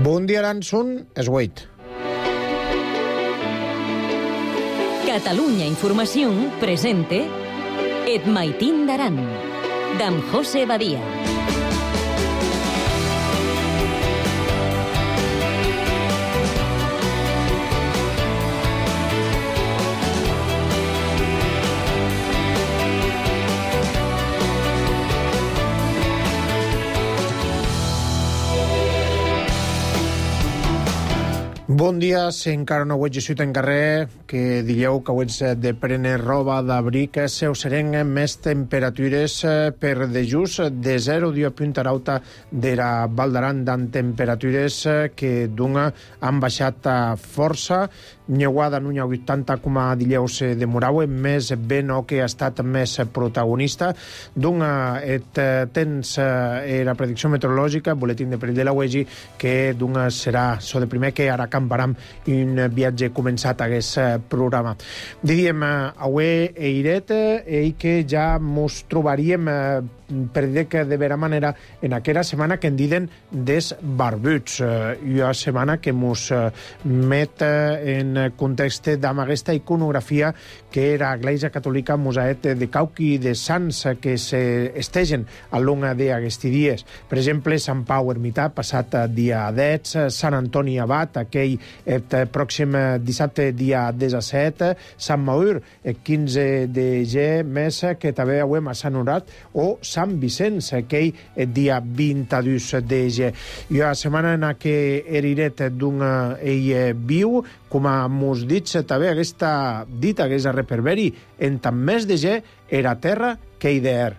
Bon dia, Aranson, és 8. Catalunya Informació presente Et Maitín d'Aran, d'en José Badia. Bon dia, si encara no ho ets en carrer, que digueu que ho ets de prendre roba d'abric, se us serem més temperatures per de just de 0 dia puntarauta d'era Val d'Aran, d'en temperatures que d'una han baixat força, Nyeuada n'unya 80, com a dileus de Moraue, més ben o que ha estat més protagonista. D'una tens la predicció meteorològica, boletín de perill de la UEGI, que d'una serà so de primer que ara camparam un viatge començat a aquest programa. Diríem, avui eiret i que ja mos trobaríem per dir que de vera manera en aquella setmana que en diden des barbuts, una setmana que mos met en context d'amb aquesta iconografia que era Església Catòlica Mosaet de Cauqui i de Sants que s'estegen a longa d'aquests dies. Per exemple, Sant Pau Ermità, passat dia 10, Sant Antoni Abat, aquell pròxim dissabte dia 17, Sant Maur, 15 de mes, que també veiem a Sant Honorat, o Sant Vicenç, aquell dia 22 de ge. I a setmana en què eriret d'un ell viu, com a mos dit, també aquesta dita, aquesta reperberi, en tant més de ge era terra que hi d'aer.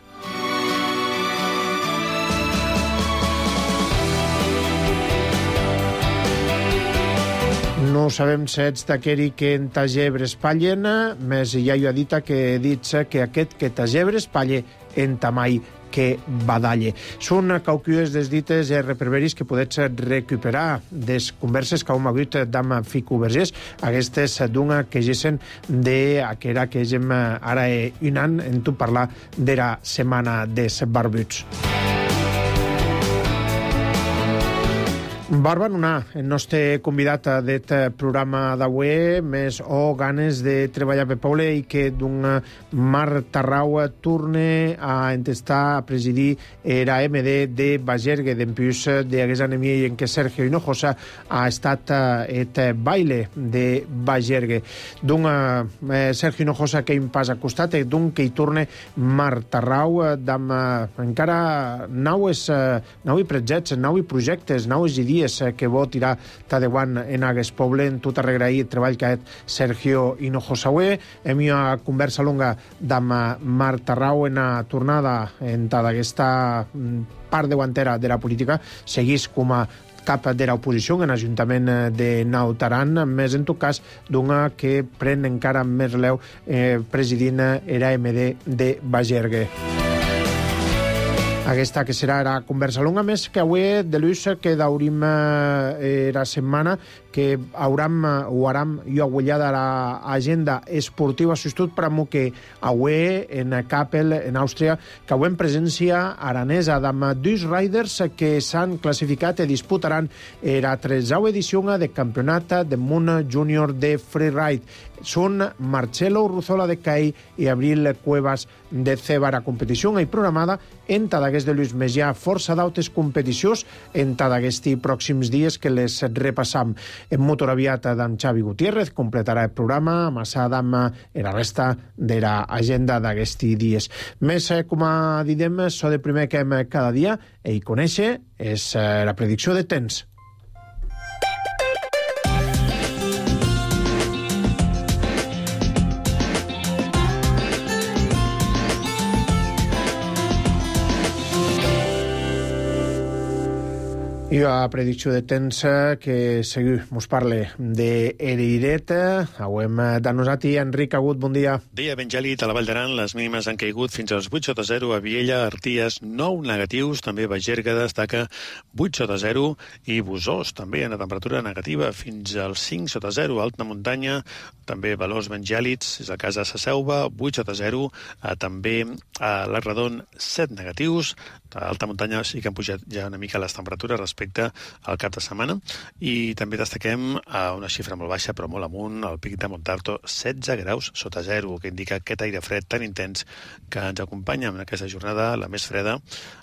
No sabem si ets d'aqueri que en ta gebre espallen, més ja hi ha dita que dit que aquest que ta gebre espalle en ta mai que badalle. Són cauquies des dites i reperberis que podets recuperar des converses que hem hagut d'amb Fico Vergés, aquestes d'una que gessen d'aquera que gem ara un any en tu parlar de la setmana des barbuts. Barba Nunar, el nostre convidat d'aquest programa d'avui, més o ganes de treballar per poble i que d'un Mar Tarrau torne a entestar a presidir era MD de Bagergue, d'empús d'aquest anemia en què Sergio Hinojosa ha estat et baile de Bagergue. D'un Sergio Hinojosa que hi pas a costat, d'un que hi torne Mar Tarrau, d'amb encara naues projectes, naues projectes, naues idees que vol tirar Tadeuan en aquest poble, en tot arregrair el treball que ha fet Sergio Hinojosa. Hem una conversa longa d'amb Mar Tarrau en la tornada en aquesta part davanter de la política. Seguís com a cap de l'oposició en l'Ajuntament de Naut Aran, més en tot cas d'una que pren encara més relleu presidint era MD de Bagergue. Aquesta que serà la conversa longa, més que avui de l'ús que daurim la setmana que hauram jo agullada l'agenda esportiva sostut per amor que avui en Kappel, en Àustria, que avui en presència aranesa d'amb dos riders que s'han classificat i disputaran la 13a edició del Campionat del Món Júnior de Freeride. Són Marcelo Urruzola de CAI i Abril Cuevas de Ceba. La competició és programada en d'aquests de Lluís Mesià, força d'altres competicions en d'aquests pròxims dies que les repassam. En motor aviat d'en Xavi Gutiérrez completarà el programa, amassada amb la resta de l'agenda d'aquests dies. Més, com a didem, so de primer que hem cada dia, i conèixer és la predicció de temps. I la predicció de temps que seguiu mos parle d'Eriret. Auem de nosaltres Enric Agut, bon dia. Dia ben gèlid a la Vall d'Aran, les mínimes han caigut fins als 8 sota 0 a Viella, Arties, 9 negatius, també Bagergue destaca 8 sota 0 i Busós també en la temperatura negativa fins als 5 sota 0, alta muntanya, també valors ben gèlids, és el cas de Sa Selva, 8 sota 0, també a l'Arredon 7 negatius, A l'alta muntanya sí que han pujat ja una mica les temperatures respecte al cap de setmana, i també destaquem una xifra molt baixa, però molt amunt, el pic de Montarto, 16 graus sota zero, que indica aquest aire fred tan intens que ens acompanya en aquesta jornada, la més freda,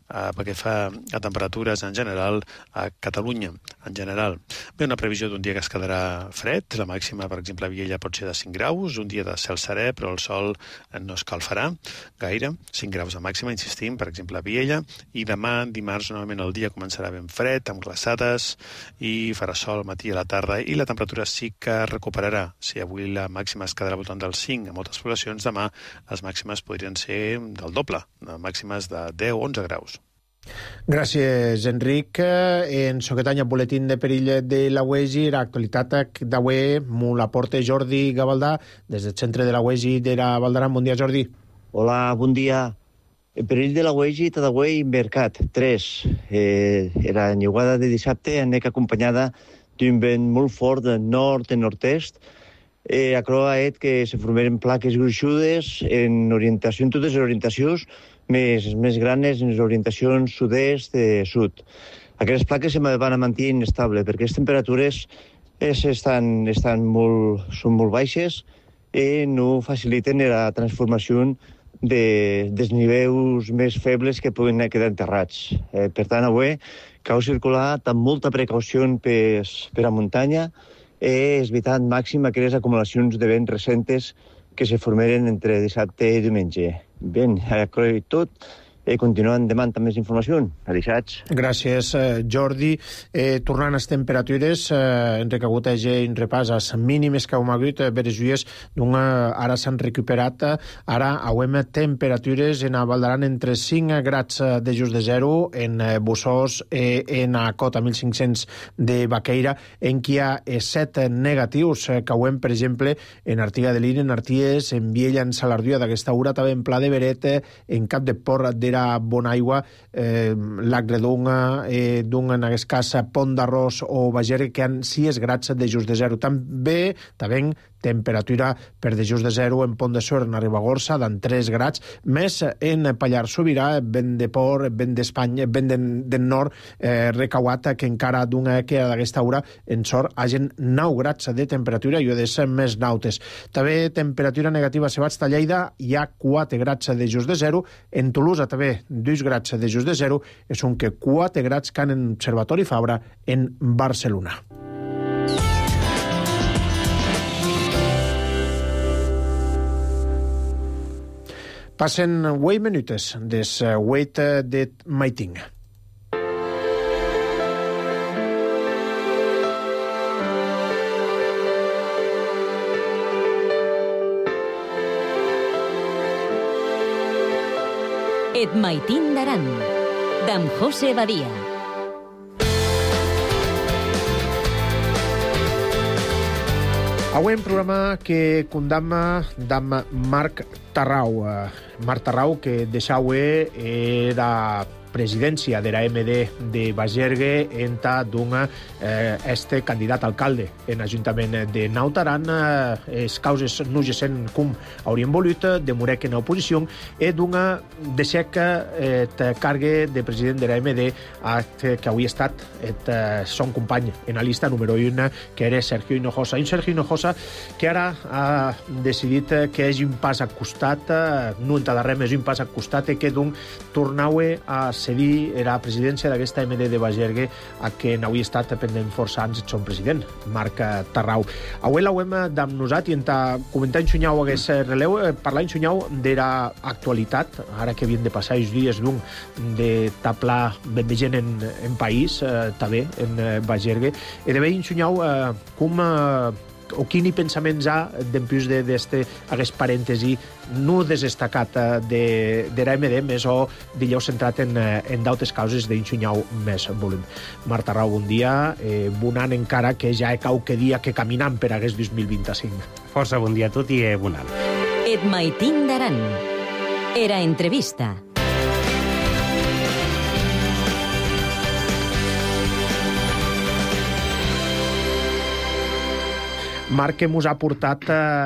perquè fa a temperatures en general a Catalunya, en general. Bé, una previsió d'un dia que es quedarà fred, la màxima, per exemple, a Viella pot ser de 5 graus, un dia de cel serè, però el sol no escalfarà gaire, 5 graus de màxima, insistim, per exemple, a Viella, i demà, dimarts, normalment el dia començarà ben fred, amb glaçades, i farà sol al matí i a la tarda, i la temperatura sí que recuperarà. Si avui la màxima es quedarà al voltant dels 5 a moltes poblacions, demà les màximes podrien ser del doble, màximes de 10-11 graus. Gràcies, Enric. En Soquetanya, boletín de perill de la UEGI, la actualitat d'avui, m'ho la porta Jordi Gavaldà, des del centre de la UEGI de la Valdaran. Bon dia, Jordi. Hola, bon dia. El perill de la UEGI tot avui Mercat 3. Era enllugada de dissabte, anec acompanyada d'un vent molt fort de nord i nord-est. Aquerò ha fet que se formeren plaques gruixudes en orientació, en totes les orientacions, més grans en les orientacions sud-est i sud. Aquestes plaques se van a mantenir inestable perquè les temperatures són molt baixes i no faciliten la transformació dels nivells més febles que poden quedar enterrats. Per tant, avui cal circular amb molta precaució per a muntanya i evitar al màxim aquelles acumulacions de vent recentes que se formeren entre dissabte i diumenge. Bé, tot, continuant demant amb més informació. Adéixats. Gràcies, Jordi. Tornant a les temperatures, hem reconegut un repàs a les mínimes que hem hagut, Beresuies, ara s'han recuperat. Ara hauem temperatures en Valdaran entre 5 grads de just de zero, en Bussós, en Cota 1500 de Baqueira, en qui hi ha 7 negatius que hauem, per exemple, en Artiga de l'Ir, en Arties, en Viella, en Salardua, d'aquesta hora, també en Pla de Beret, en Cap de Porra, Bonaigua, Lac Redonga, en aquest cas Pont d'Arròs o Bagergue, que han 6 grads de just de zero. També temperatura per de just de zero en Pont de Suert, en Ribagorça, d'en 3 grads, més en Pallars Sobirà, vent de Port, vent d'Espanya, vent del nord, recauat, que encara que d'aquesta hora en sort hagin 9 grads de temperatura i ho de ser més nautes. També temperatura negativa a Sebats de Lleida, hi ha 4 grads de just de zero, en Tolosa també 2 grads de just de zero, és un que 4 grads que han en Observatori Fabra en Barcelona. Passen 8 minutes des 8 de maiting. Et maitin d'aran, d'en José Badia. Avui un programa que condamna d'en Marc Tarrau. Marc Tarrau, que deixau era presidència de la MD de Bagergue enta d'un este candidat alcalde en l'Ajuntament de Naut Aran. Les causes no gessen com haurien volut, demorec en oposició, i d'una deixec cargue de president de la MD que avui ha estat son company en la llista número 1, que era Sergio Hinojosa. Un Sergio Hinojosa que ara ha decidit que és un pas al costat, no en darrer més un pas al costat, i que d'un tornau a cedir la presidència d'aquesta MD de Bagergue a que n'havia estat pendent força anys el president, Marc Tarrau. Avui l'hauem d'amb nosat i enta comentar en xunyau aquest releu, parlar en xunyau de l'actualitat, ara que havien de passar els dies d'un de taplar ben de gent en país, també en Bagergue, i de veure en xunyau com o quin pensaments ha d'empús d'aquest parèntesi no desestacat de l'AMD, més o dillau centrat en d'altres causes d'inxunyau més volum. Marc Tarrau, bon dia. Bon any encara, que ja qualque dia que caminam per aquest 2025. Força bon dia a tot i bon any. Et maitin d'aran. Era entrevista. Marc, que mos ha portat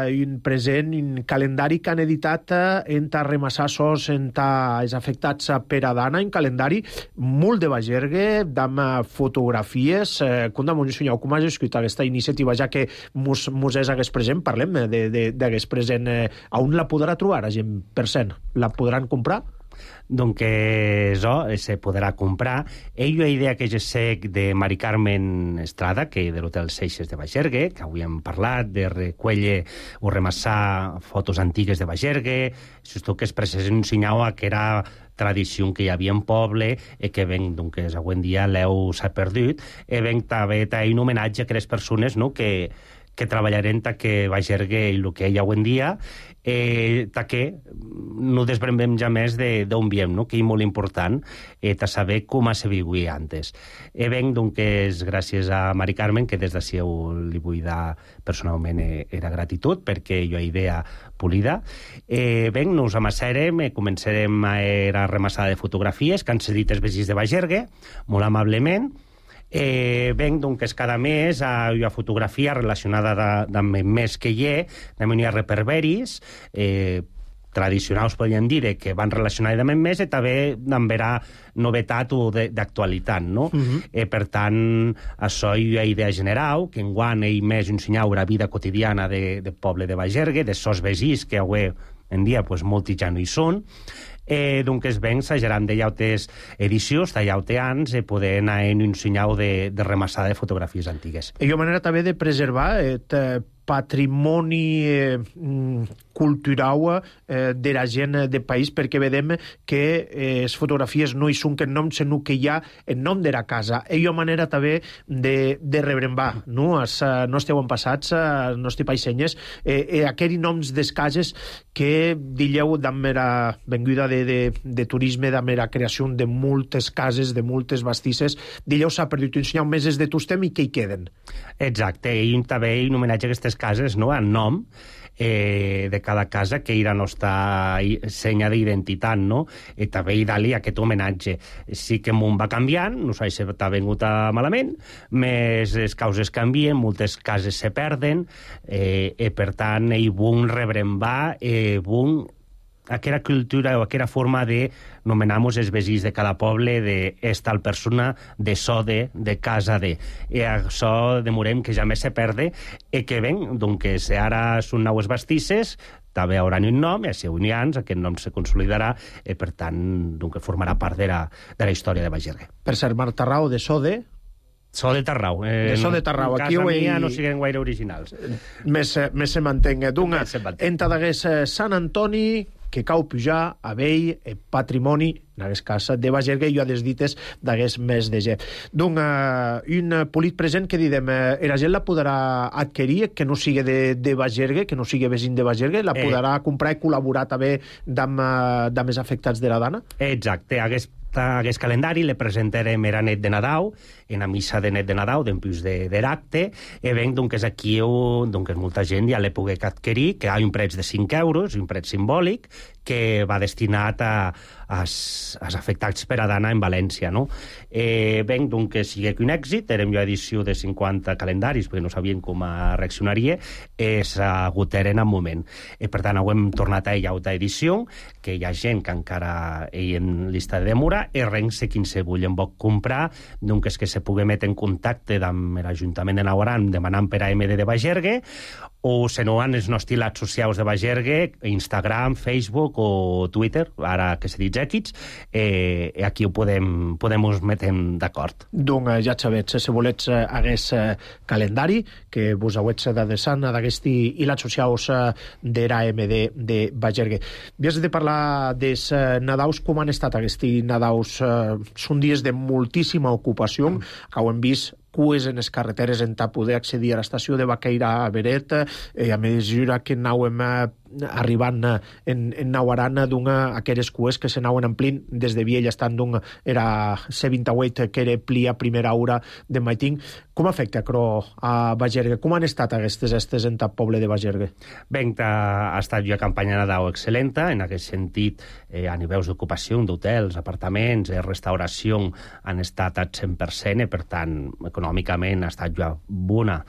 un present, un calendari que han editat enta Remassassos, enta els afectats per Adana, un calendari molt de Bagergue, amb fotografies. Com com has escrit aquesta iniciativa, ja que mos és hagués present, parlem d'hagués present. On la podrà trobar, la gent per cent? La podran comprar? Donc, se podrà comprar. Ella idea que jo sé de Mari Carmen Estrada, que de l'Hotel Seixes de Bagergue, que avui hem parlat, de recuelle o remassar fotos antigues de Bagergue, això que es presentava que era tradició que hi havia en poble i que ben, doncs, avui en dia l'eu s'ha perdut, i ben també un homenatge a aquelles persones, no?, que treballarem que Bagergue i el que hi ha avui en dia, que no desbrembem ja més d'on viem, no?, que és molt important de saber com se vivia antes. Ben, doncs, gràcies a Mari Carmen, que des d'ací li vull dar personalment era gratitud, perquè jo idea polida. Ben, nos amasserem, començarem a la remassada de fotografies que han cedit els veïns de Bagergue, molt amablement. Ben, doncs, cada mes hi ha fotografia relacionada amb el mes que hi ha, hi ha reperberis, tradicionals, podríem dir, que van relacionats amb el mes, i també amb vera novetat o d'actualitat, no? Per tant, això hi ha idea general, que enguany ell més ensenyau la vida quotidiana del poble de Bagergue, de sos veïns, que avui en dia molts ja no hi són. Donc, ben, s'ageran de llautes edicions, de llaute anys, poder anar en un senyal de remassada de fotografies antigues. I manera també de preservar patrimoni cultural de la gent del país, perquè vedem que les fotografies no hi són que nom, sinó que hi ha el nom de la casa. I una manera també de rebrembar, no? Els nostres avantpassats, els nostres paissenyes, aquells noms des cases que dieu d'amb la venguda de turisme, d'amb la creació de moltes cases, de moltes bastisses, dieu s'ha perdut un senyal més de tostem i que hi queden. Exacte, i també un homenatge a aquestes cases, no?, en nom de cada casa, que era la nostra senya d'identitat, no? I també hi dali aquest homenatge. Sí que el món va canviant, no sé si t'ha vengut malament, més les causes canvien, moltes cases se perden, i per tant hi vull rebrembar, aquella cultura o aquella forma de nomenar-nos els veïns de cada poble, tal persona, de so de casa de. I això demorem que ja més se perde, i que ben, doncs, ara són naues bastisses, també hauran un nom, i si n'hi ha, aquest nom se consolidarà, i per tant, doncs, formarà part de la història de Bagergue. Per ser Marc Tarrau, de so de... So de Tarrau. De so de Tarrau. Casa mia no siguen gaire originals. Més se mantenga. Dunga, enta d'hagués Sant Antoni, que cau pujar a vell patrimoni, en aquest cas de Bagergue, i a des dites d'hagués més de gent. Donc, un polit present que didem, la gent la podrà adquirir, que no sigui de Bagergue, que no sigui veïn de Bagergue, la podrà comprar i col·laborar també amb els afectats de la Dana? Exacte, aquest calendari le presentarem era net de Nadal, en la missa de net de Nadal, d'empús de l'acte, i ben, doncs, aquí molta gent ja l'he pogut adquirir, que hi ha un preu de 5 euros, un preu simbòlic, que va destinat als afectats per Adana en València, no? Ben, doncs, que sigui un èxit, érem jo edició de 50 calendaris, perquè no sabien com reaccionaria, s'agoteren en moment. Per tant, hem tornat a ella altra edició, que hi ha gent que encara hi en llista de demora, i res que se vulguin vol comprar, doncs, que se pugui metre en contacte amb l'Ajuntament de Nawaran demanant per AMD de Bagergue, o se no en els nostres xarxes socials de Bagergue, Instagram, Facebook o Twitter, ara que se dit X, aquí ho podem us metem d'acord. Donc, ja sabets, si volets hagués calendari, que vos hauets d'adreçar d'aquest i les socials de l'AMD de Bagergue. Havies de parlar dels Nadaus, com han estat aquests Nadaus? Són dies de moltíssima ocupació, que ho hem vist cues en les carreteres en poder accedir a l'estació de Baqueira a Beret, a mesura que anàvem arribant en Nawaran, aquelles cues que s'anaven omplint des de Viella, estant era C28, que era plia primera hora de matin. Com afecta, però, a Bagergue? Com han estat aquestes estes en el poble de Bagergue? Ben, ha estat una campanya Nadal excel·lenta, en aquest sentit, a nivells d'ocupació, d'hotels, apartaments, restauració, han estat al 100%, i per tant, econòmicament ha estat ja bona,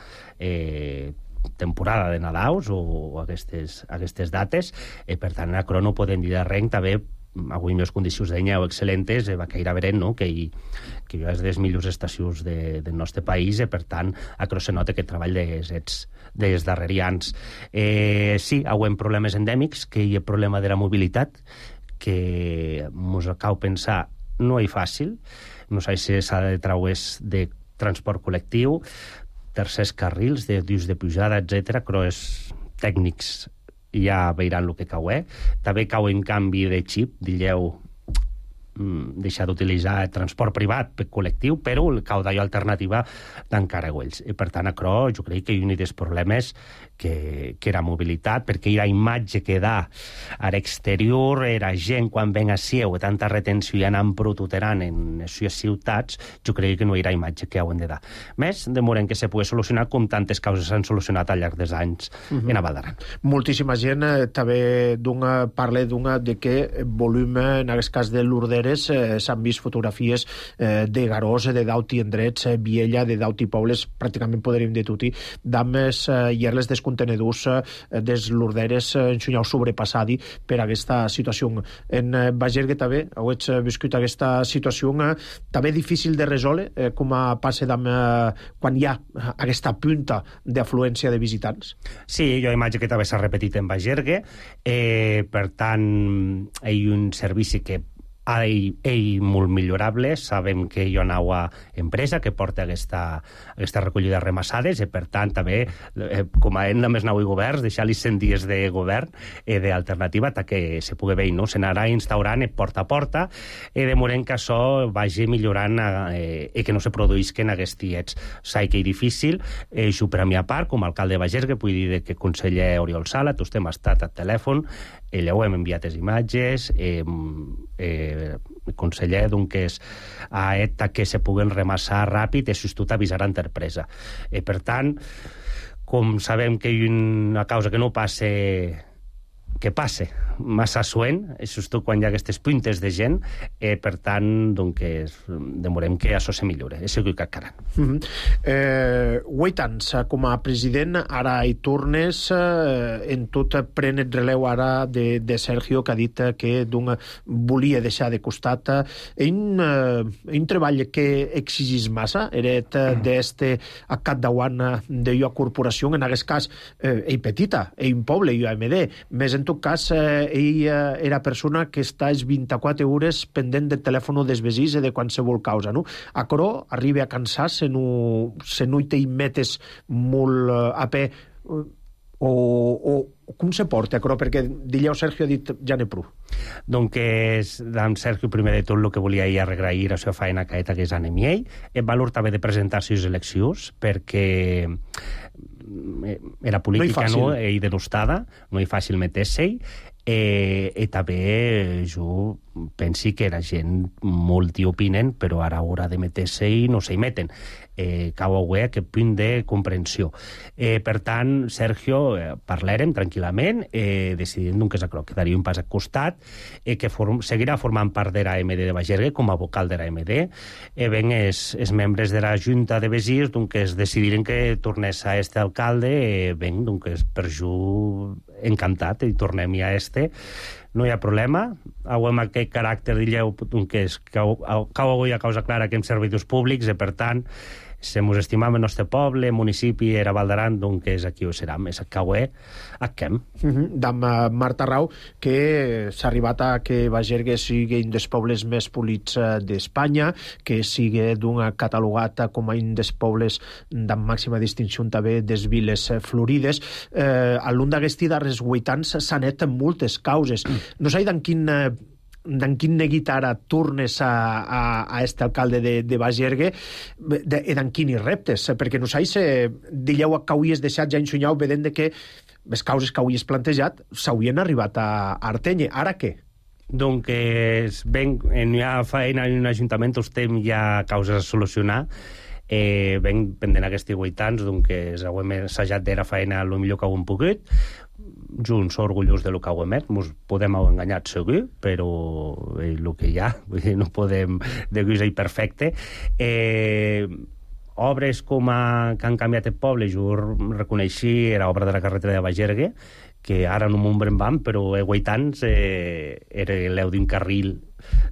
temporada de Nadaus o aquestes dates, per tant, aquerò no podem dir de res, també avui les condicions d'anyeu excel·lentes, va caire verent, no? que hi ha les millors estacions del nostre país, per tant, aquerò se nota que treball dels darrerians. Sí, hi ha problemes endèmics, que hi ha problema de la mobilitat, que ens cal pensar no és fàcil, no sé si s'ha de treure de transport col·lectiu, tercers carrils, dius de pujada, etc. però és tècnics ja veiran el que cau. També cau en canvi de xip, digueu, deixar d'utilitzar transport privat per col·lectiu, però cau d'allò alternativa d'encara ells. I per tant, això jo crec que hi ha un dels problemes que era mobilitat, perquè la imatge que da a l'exterior, era gent quan ven a Sieu, tanta retenció i anant protuterant en les ciutats, jo crec que no hi ha imatge que hauen de dar. Més, demorem que se pugui solucionar com tantes causes s'han solucionat al llarg dels anys en a Val d'Aran. Moltíssima gent també parla de que volum, en aquest cas de Lurderes, s'han vist fotografies de Garós, de Dauti Endrets, Viella, de Dauti Pobles, pràcticament podríem dir tutti, dames i erles des contenedors des Lurderes enxunyau sobrepassadi per aquesta situació. En Bagergue també heu viscut aquesta situació també difícil de resoldre, com passa quan hi ha aquesta punta d'afluència de visitants? Sí, jo imatge que també s'ha repetit en Bagergue, per tant, hi ha un servici que és molt millorable. Sabem que hi ha una empresa que porta aquesta recollida de remassades i, per tant, també, com a hem més nou governs, deixar-li 100 dies de govern d'alternativa que se pugui veure, no? Se n'anarà instaurant porta a porta i de moment que això vagi millorant i que no se produïsquen aquests diets. Sé que és difícil, jo per a mi a part, com a alcalde de Bagergue, vull dir que conseller Oriol Sala, tots hem estat al telèfon, ella ho hem enviat les imatges, el conseller ha et que se puguen remassar ràpid i tot avisar a l'empresa. Per tant, com sabem que hi ha una causa que no passe, que passe massa suent, és quan hi ha aquestes puntes de gent, per tant, demorem que això se millore. És el que cal. 8 anys com a president, ara hi tornes, en tot pren el relleu ara de Sergio, que ha dit que volia deixar de costat. Un treball que exigís massa, era d'este a capdavant de la corporació, en aquest cas, ell petita, ell un poble, UAMD, més en tot cas, ell era persona que està 24 hores pendent del telèfon dels veïns de qualsevol causa, no? Aquerò arriba a cansar se no hi té metes molt a peu o com se porta aquerò? Perquè Dilleu Sergio ha dit ja n'he prou. Doncs en Sergio, primer de tot, el que volia agrair a la seva feina que és a ell, el valor també de presentar-se a les eleccions, perquè era política, no? I denostada, no és fàcil meter-se-hi, i també jo pensi que la gent molt hi opinen, però ara haurà de meter-se-hi no s'hi meten. Cau a aquest punt de comprensió. Per tant, Sergio, parlarem tranquil·lament, decidint que quedaria un pas al costat, que seguirà formant part de l'AMD de Bagergue com a vocal de l'AMD. Ben, els membres de la Junta de Veïns es decidiren que tornés a este alcalde, ben, per jo encantat, i tornem-hi a este. No hi ha problema. Amb aquest caràcter, digueu, que cau avui a causa clara que hem servidors públics, i per tant, se mos estimam el nostre poble, municipi, era Val d'Aran, doncs aquí ho serà, més caué, aquem. D'am Marta Rau, que s'ha arribat a que Bagergue sigui un dels pobles més polits d'Espanya, que sigui catalogat com un dels pobles d'am màxima distinció també des viles florides. A l'un d'aquesti darrers 8 anys s'han net moltes causes. No sé d'en quin neguit ara tornes a este alcalde de Bagergue i d'en quin hi reptes, perquè no sé si dilleu que hauries deixat ja ensunyau vedent que les causes que hauries plantejat s'haurien arribat a Arteny. Ara què? Doncs ben, hi ha feina en un ajuntament, estem ja causes a solucionar. Ben pendent aquests 8 anys, doncs hem assajat d'era feina el millor que ho hem pogut. Junts orgullosos de lo que ho hem fet, ens podem haver enganyat segur, però el que hi ha, no podem dir que és perfecte. obres com que han canviat el poble, jo reconeixi era obra de la carretera de Bagergue, que ara no m'ho vam, però 8 anys era l'eu d'un carril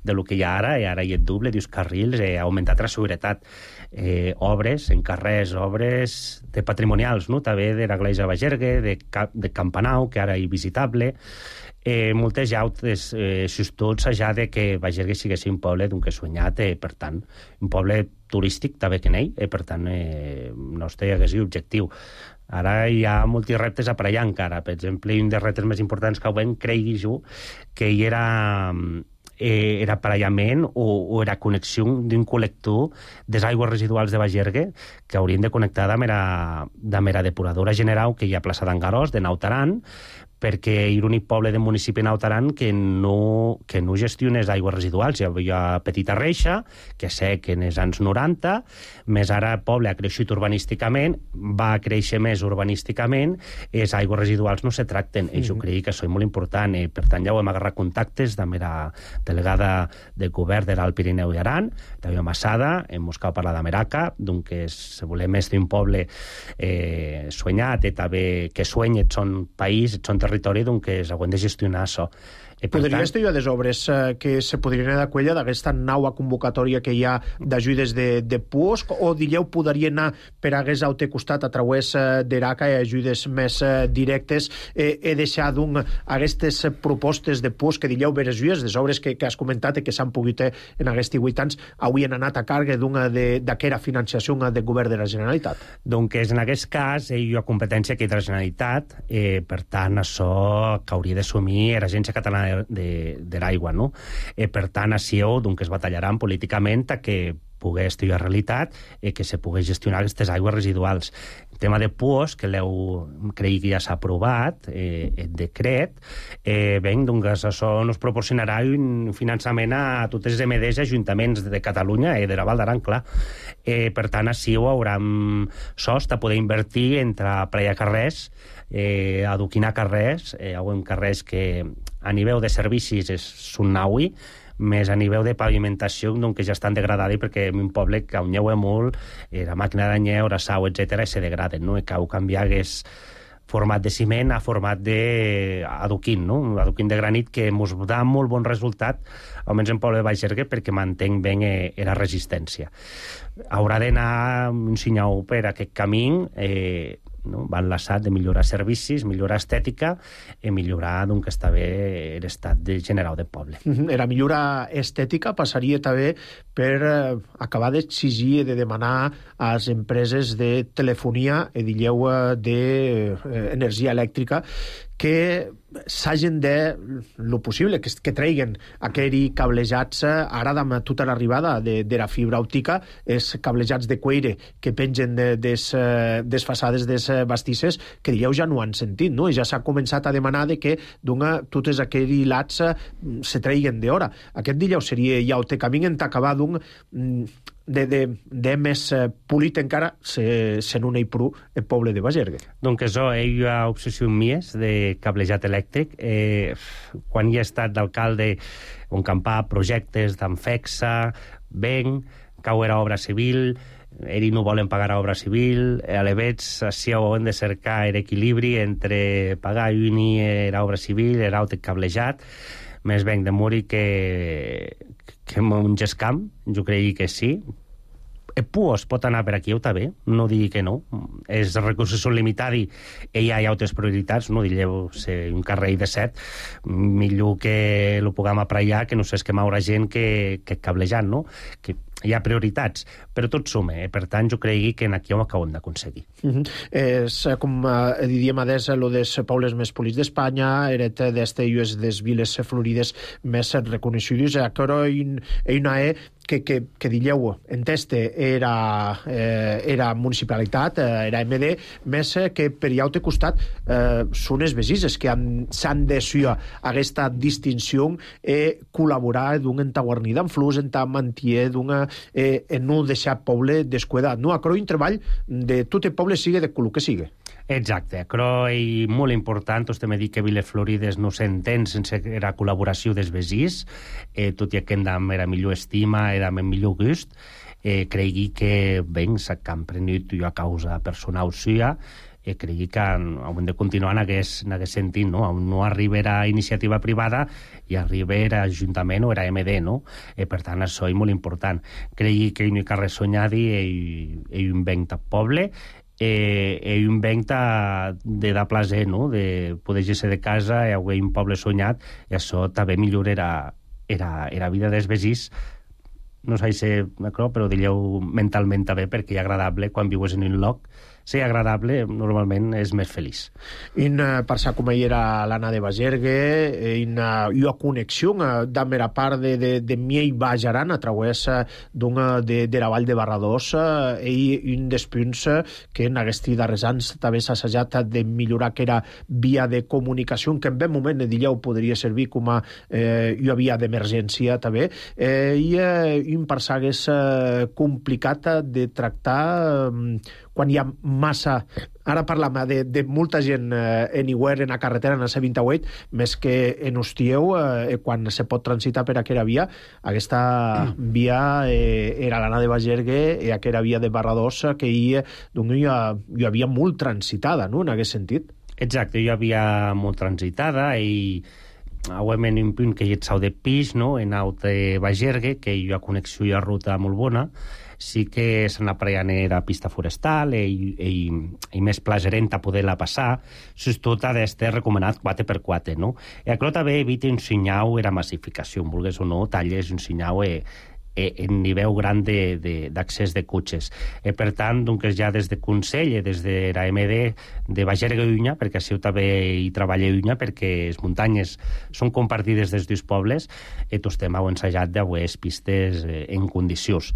de lo que hi ha ara, i ara hi ha doble, dius carrils, ha augmentat la seguretat. Obres en carrers, obres de patrimonials, no? També de l'església de Bagergue, de Campanau, que ara és visitable, moltes llautes, tots ja de que Bagergue sigui un poble d'un que soñat, per tant, un poble turístic també que n'ell, per tant, nostre hagués objectiu. Ara hi ha molts reptes a per allà encara. Per exemple, un dels reptes més importants que ho vam, cregui jo, que hi era aparellament o era connexió d'un col·lector des aigües residuals de Bagergue que haurien de connectar amb la depuradora general que hi ha a plaça d'Angarós, de Nautaran, perquè hi ha l'únic poble del municipi de Nautaran que no gestiona les aigües residuals. Hi havia Petita Reixa, que sé que en els anys 90, més ara el poble ha creixut urbanísticament, va créixer més urbanísticament, les aigües residuals no se tracten, i jo crec que això és molt important, per tant ja ho hem agarrat contactes amb la delegada del govern de l'Alt Pirineu i Aran, també a Massada, hem buscat parlar de Meraca, que volem més d'un poble soñat, i també que soña et son país, et son territori, que s'hauen de gestionar això. Podries dir les obres que se podrien d'acuella d'aquesta nova convocatòria que hi ha d'ajudes de PUOSC, o diríeu podria anar per hagués al teu costat a través d'ERACA i ajudes més directes, deixat aquestes propostes de PUOSC que diríeu veres lluies, les obres que has comentat i que s'han pogut en aquests 8 anys avui han anat a càrrega d'aquesta financiació del govern de la Generalitat? Doncs en aquest cas hi ha competència que hi ha de la Generalitat, per tant això que hauria d'assumir l'Agència Catalana de l'aigua, no? Per tant, així es batallaran políticament a que pogués estudiar la realitat i que se pogués gestionar aquestes aigües residuals. El tema de PUOS, que crec que ja s'ha aprovat, el decret, això ens proporcionarà un finançament a totes les MDs i ajuntaments de Catalunya i de la Val d'Aran, clar. Per tant, així ho haurem sost a poder invertir entre plegar carrers, adoquinar carrers, carrers que a nivell de servicis són naui, més a nivell de pavimentació, que ja estan degradats perquè en un poble que on lleu molt, la màquina d'anyeu, la sau, etc., se degraden, no? I cal canviar aquest format de ciment a format d'adoquín, no? Adoquín de granit, que ens dà molt bon resultat, almenys en poble de Bagergue, perquè mantenc bé la resistència. Haurà d'anar un senyal per aquest camí, va enlaçat de millorar servicis, millorar estètica i millorar que està bé l'estat general del poble. La millora estètica passaria també per acabar d'exigir i de demanar a les empreses de telefonia i d'energia elèctrica que s'hagin de, lo possible, que treguin aquells cablejats ara amb tota l'arribada de la fibra òptica, els cablejats de cuire que pengen des façades des bastisses, que dieu ja no han sentit, no? I ja s'ha començat a demanar de que totes aquells lats se treguin d'hora. Aquest dieu seria ja el camí en acabar de més polit encara sent un eipru el poble de Bagergue. Donc això, hi ha obsessió mies de cablejat elèctric. Quan hi ha estat d'alcalde on campar projectes d'Anfexa, Ben, cau era obra civil, ells no volen pagar a obra civil, a l'Evets així ho hem de cercar l'equilibri entre pagar i l'obra civil, l'altre cablejat, més ben de morir que un gescamp, jo crec que sí. El PUOS pot anar per aquí o també, no digui que no. Els recursos són limitats i hi ha altres prioritats, no digueu un carrer de 7, millor que ho puguem aparellar, que no s'esquema haurà gent que cablejant, no? Que hi ha prioritats, però tot suma, per tant jo crec que aquí ho acabem d'aconseguir. És com diríem adés lo dels pobles més polits d'Espanya, eret d'estes des viles florides més reconeixudes, però una que diríeu enteste era municipalitat, era MD, més que per allà al costat són els vesises que s'han de suir aquesta distinció i col·laborar d'un entaguarnida en flux, mantier en no deixar poble descuidat. No, acro un treball de tot el poble sigue de color que sigue. Exacte, però és molt important, vostè m'ha dit que Viles Florides no s'entén sense la col·laboració dels vesins, tot i que hem de la millor estima i de millor gust, Cregui que, ben, s'ha emprenut a causa personal suya, cregui que hem de continuar en aquest sentit, no? No arriba a iniciativa privada i arriba a Ajuntament o a MD, no? Per tant, això és molt important. Cregui que no hi ha res soñadi i inventa poble, i inventa de dar placer, no? De poder ser de casa i haver un poble soñat, i això també millorarà la vida dels veïns. No sé si però digueu mentalment també, perquè és agradable quan vius en un lloc. Ser agradable normalment és més feliç. Parça com era l'Anna de Bagergue, una connexió de la part de Miei Bajaran a través de la Vall de Barradós, i un dels punts que en aquests darrers anys també s'ha assajat de millorar, que era via de comunicació, que en ben moment dilleu podria servir com a una via d'emergència també, i un parça és complicat de tractar quan hi ha massa... Ara parlam de molta gent anywhere en la carretera, en la C28, més que en Hostieu, quan se pot transitar per aquella via. Aquesta via era l'Anna de Bagergue, i aquella via de Barradós, que hi havia molt transitada, no?, en aquest sentit. Exacte, hi havia molt transitada, i en un punt que hi ha sau de pis, no?, en out de Bagergue, que hi ha connexió i ha ruta molt bona. Sí que se n'apreien a pista forestal i més plagerent a poder-la passar, tot ha d'estar recomanat 4x4, no? I això també evita un senyal era massificació, vulgues o no, talles un senyal en nivell gran d'accés de cotxes. Per tant, doncs, ja des de Consell, des de la MD de Bagergue i Unya, perquè així també hi treballa Unya, perquè les muntanyes són compartides des dels pobles, tots hem ensajat d'haver pistes en condicions.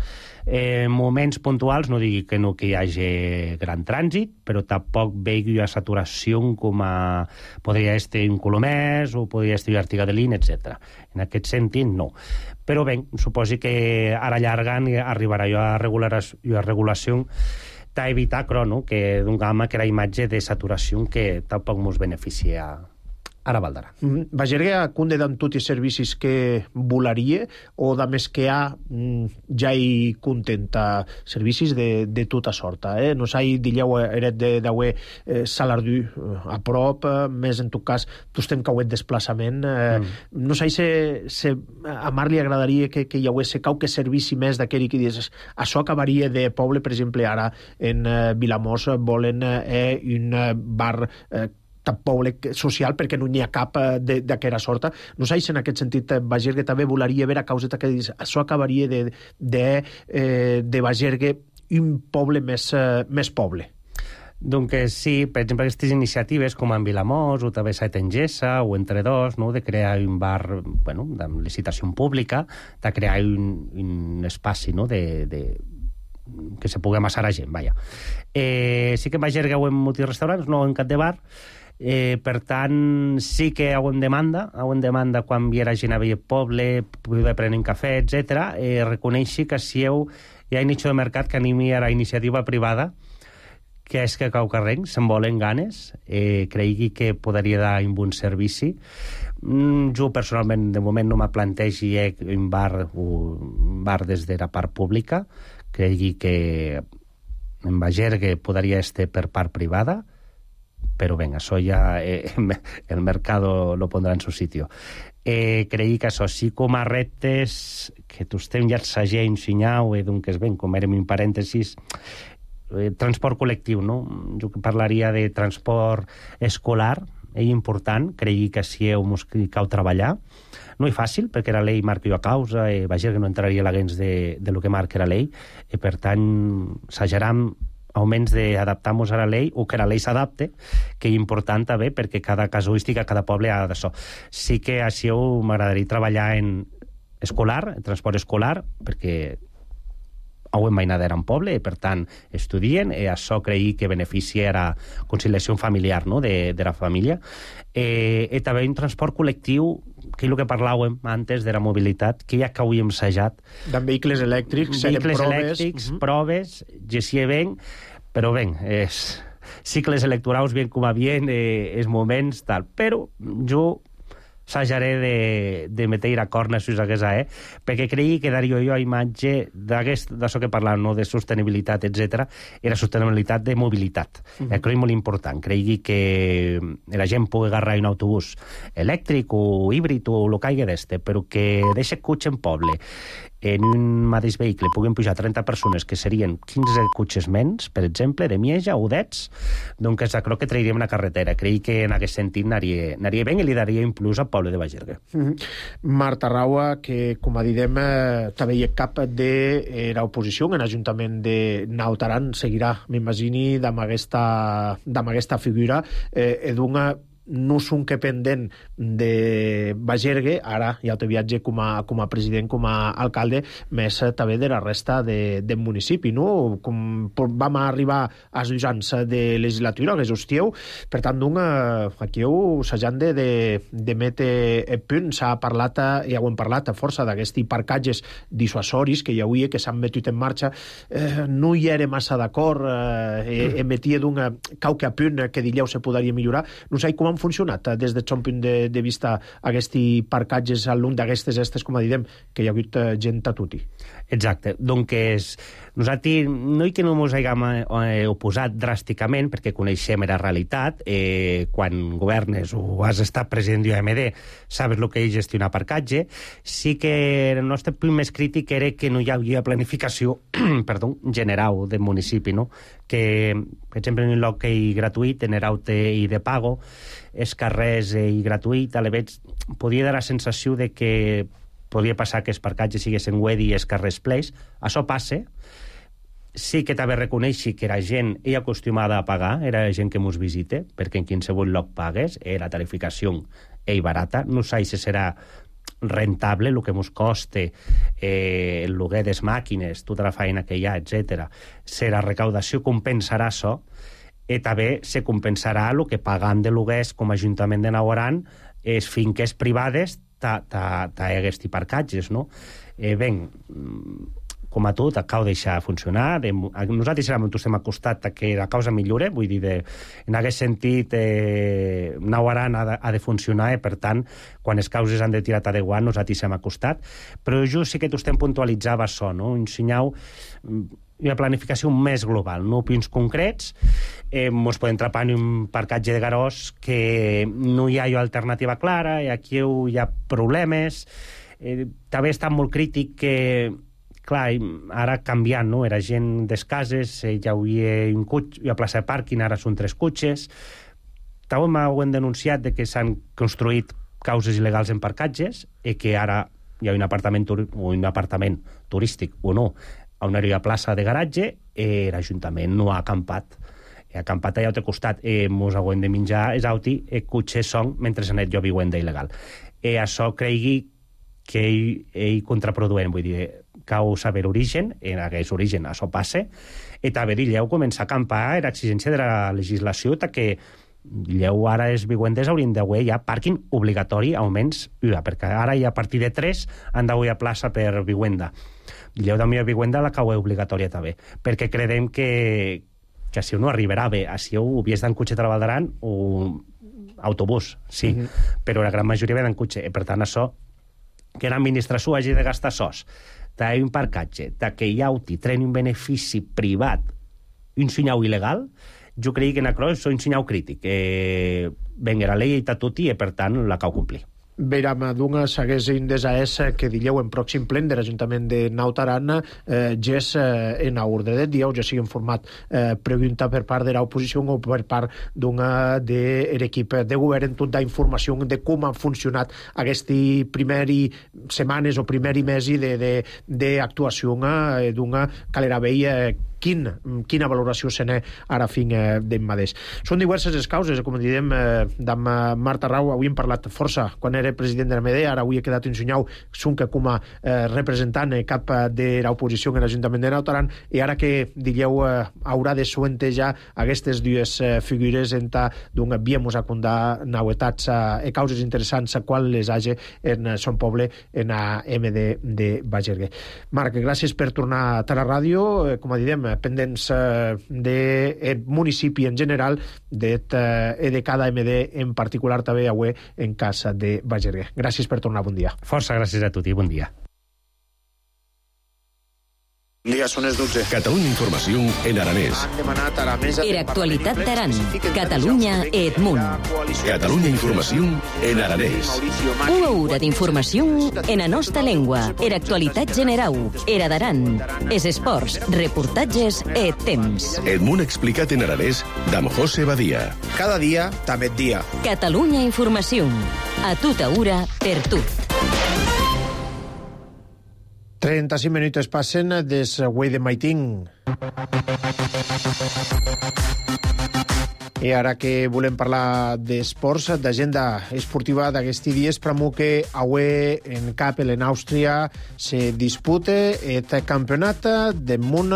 Moments puntuals, no digui que no que hi hagi gran trànsit, però tampoc vegi una saturació com podria estar un Colomers o podria estar Artiga de Lin, etc. En aquest sentit, no. Però bé, suposi que ara allargant arribarà a regulació d'evitar, no?, que d'un gamma que la imatge de saturació que tampoc ens beneficia ara Valdarà. Bagergue acunde d'en tots els servicis que volaria, o de més que ja hi contenta servicis de tota sorta, no sé, dilleu eret d'haver salardú a prop, més en tot cas tu estem cauet desplaçament, no sé si a Mar li agradaria que hi hagués qualque servici més d'aquell que dius, això acabaria de poble, per exemple, ara en Vilamós volen un bar poble social, perquè no n'hi ha cap d'aquesta sorta. No sé si en aquest sentit Bagergue també volaria veure a causa que això acabaria de Bagergue un poble més poble. Donc sí, per exemple, aquestes iniciatives com en Vilamós o també a Tengessa o entre dos, no?, de crear un bar, bueno, de licitació pública, de crear un espaci, no?, que se pugui amassar a gent, vaja. Sí que en Bagergue ho en molts restaurants, no en cap de bar. Per tant, sí que ho en demanda quan viera gent a veure poble, poder prendre un cafè, etc. Reconeixi que si hi ha un nicho de mercat que animi a la iniciativa privada, que és que cau carrer, se'n volen ganes, cregui que podria dar un bon servici. Jo, personalment, de moment no me plantegi un bar des de la part pública, cregui que en Bagergue podria estar per part privada, però ben, això ja el mercado lo pondrà en su sitio. Creí que això sí com a reptes que tu estem ja assagent, sinyau, doncs ben, com érem un parèntesis, transport col·lectiu, no? Jo parlaria de transport escolar, és important, creigui que si cal treballar. No és fàcil, perquè la llei marca a causa, Bagergue no entraria a la gens de lo que marca la llei, i per tant, assajaram augments d'adaptar-nos a la llei o que la llei s'adapte, que és important també perquè cada casuística, cada poble ha d'això. Sí que així m'agradaria treballar en escolar, en transport escolar, perquè ho hem mainat en poble i per tant estudien, i això creï que beneficia la conciliació familiar, no?, de la família. I també un transport col·lectiu, que és el que parlàvem antes de la mobilitat, que ja que ho hem assajat. Amb vehicles elèctrics, proves, gestia ben, però ben, cicles electorals ben com a bien, els moments, tal. Però jo sajaré de meter a corna si us hagués perquè creia que daria jo a imatge d'això que parlàvem, no? De sostenibilitat, etc. Era sostenibilitat de mobilitat. Crec molt important. Cregui que la gent pugui agarrar un autobús elèctric o híbrid o el que hagi d'este, però que deixa cotxe en poble en un mateix vehicle puguin pujar 30 persones, que serien 15 cotxes menys, per exemple, de Mieja o d'Ets, doncs crec que trairíem una carretera. Crec que en aquest sentit anaria bé i li daria un plus al poble de Bagergue. Marta Raua, que, com a didem, també hi ha cap de l'oposició en l'Ajuntament de Naut Aran, seguirà, m'imagini, amb aquesta figura, d'una no són que pendent de Bagergue, ara ja te viatge com a president, com a alcalde, més també de la resta del municipi, no? Com vam arribar als 2 anys de legislatura, que s'hostieu, per tant, aquí s'han de metre punt. S'ha parlat, ja ho hem parlat, a força d'aquests parcatges dissuasoris que hi havia, que s'han metut en marxa. No hi era massa d'acord, emetia d'un cauque a punt que dileu se podria millorar. No sé com han funcionat des del punt de vista aquests parcatges a l'un d'aquestes com a diem, que hi ha hagut gent a tutti. Exacte. Doncs nosaltres no que no ens haguem oposat dràsticament, perquè coneixem la realitat. Quan governes o has estat president d'UMD, sabes el que és gestionar parcatge. Sí que el nostre punt més crític era que no hi havia planificació general del municipi, no? Que, per exemple, en un lloc gratuït, en Eraute i de pago, els carrers i gratuït, a l'eveg podia dar la sensació de que podia passar que els parcatges siguessin wedi i els carrers pleis. Això passa. Sí que també reconeixi que la gent és acostumada a pagar, era la gent que ens visita, perquè en qualsevol lloc pagues, la tarificació és barata. No sé si serà rentable el que ens costa el lloguer de les màquines, tota la feina que hi ha, etc. Si la recaudació compensarà això, i també se compensarà el que pagam de lloguers com a Ajuntament de Naut Aran les finques privades d'aquests parcatges, no? Ben, com a tot, acabo de deixar funcionar. Nosaltres estem acostats a que la causa millore, vull dir, en aquest sentit, Naut Aran ha de funcionar, i per tant, quan les causes han de tirar de guant, nosaltres hem acostat. Però jo sí que t'estem puntualitzava això, no? Ensenyau una planificació més global, no punts concrets. Ens podem trapar en un parcatge de Garós que no hi ha alternativa clara, i aquí hi ha problemes. També està molt crític que, clar, ara canviant, no? Era gent des cases, ja hi havia un cotxe, hi ha plaça de pàrquing, ara són 3 cotxes. També m'ho han denunciat de que s'han construït causes il·legals en parcatges i que ara hi ha un apartament turístic o no, on hi ha plaça de garatge, l'Ajuntament no ha acampat. Ha acampat allà al costat. Ens haurem de menjar els autis, cotxes són, mentre s'han jo viuenda il·legal. Això cregui que ell contraproduent, vull dir, cal saber origen, en aquest origen això passa, i també Dilleu comença a acampar l'exigència de la legislació que Dilleu ara els viuendes haurien d'haver ja pàrquing obligatori, almenys, perquè ara ja a partir de 3 han d'haver plaça per viuenda. Dilleu també a viuenda la cau obligatòria també, perquè creiem que si no arribarà bé, si ho havies d'en cotxe treballaran o autobús, sí, però la gran majoria ve d'en cotxe, i per tant això que l'administració hagi de gastar sos d'un parcatge, que hi hagi tren un benefici privat, un senyal il·legal, jo crec que en això és un senyal crític. Venga, la llei està tot i per tant la cal complir. Veram, d'una s'hagués indesès que dileu en pròxim plen de l'Ajuntament de Naut Aran gés en ordre de dia, o ja sigui en format pregunta per part de l'oposició o per part d'una de l'equip de govern, tota la informació de com han funcionat aquestes primeres setmanes o primers mesos d'actuació d'una calera veia quina valoració se n'ha ara fin d'en mateix. Són diverses les causes, com diem, d'en Marta Rau, avui hem parlat força quan era president de l'AMD, ara avui he quedat ensenyau que com a representant cap de l'oposició en l'Ajuntament de Naut Aran, i ara que digueu haurà de suentejar aquestes dues figures d'on havíem acundat novetats i causes interessants a quan les hagi en son poble, en AMD de Bagergue. Marc, gràcies per tornar a la ràdio, com a diem, pendents del municipi en general de cada MD en particular també avui en casa de Bagergue. Gràcies per tornar, bon dia. Força gràcies a tutti, bon dia. Dia, són les 12. Catalunya Informació en aranès. Han demanat a la mesa... Era actualitat d'Aran. Catalunya Edmunt. Catalunya Informació en aranès. Una hora d'informació en la nostra llengua. Era actualitat generau. Era d'Aran. Es esports, reportatges e temps. Edmunt explicat en aranès d'en José Badia. Cada dia, també et dia. Catalunya Informació. A tota hora, per tu. 35 minuts passen des Güell de Maitín. I ara que volem parlar d'esports, d'agenda esportiva d'aquests dies, pramo que avui en Kappel, en Àustria, se dispute el campionat de món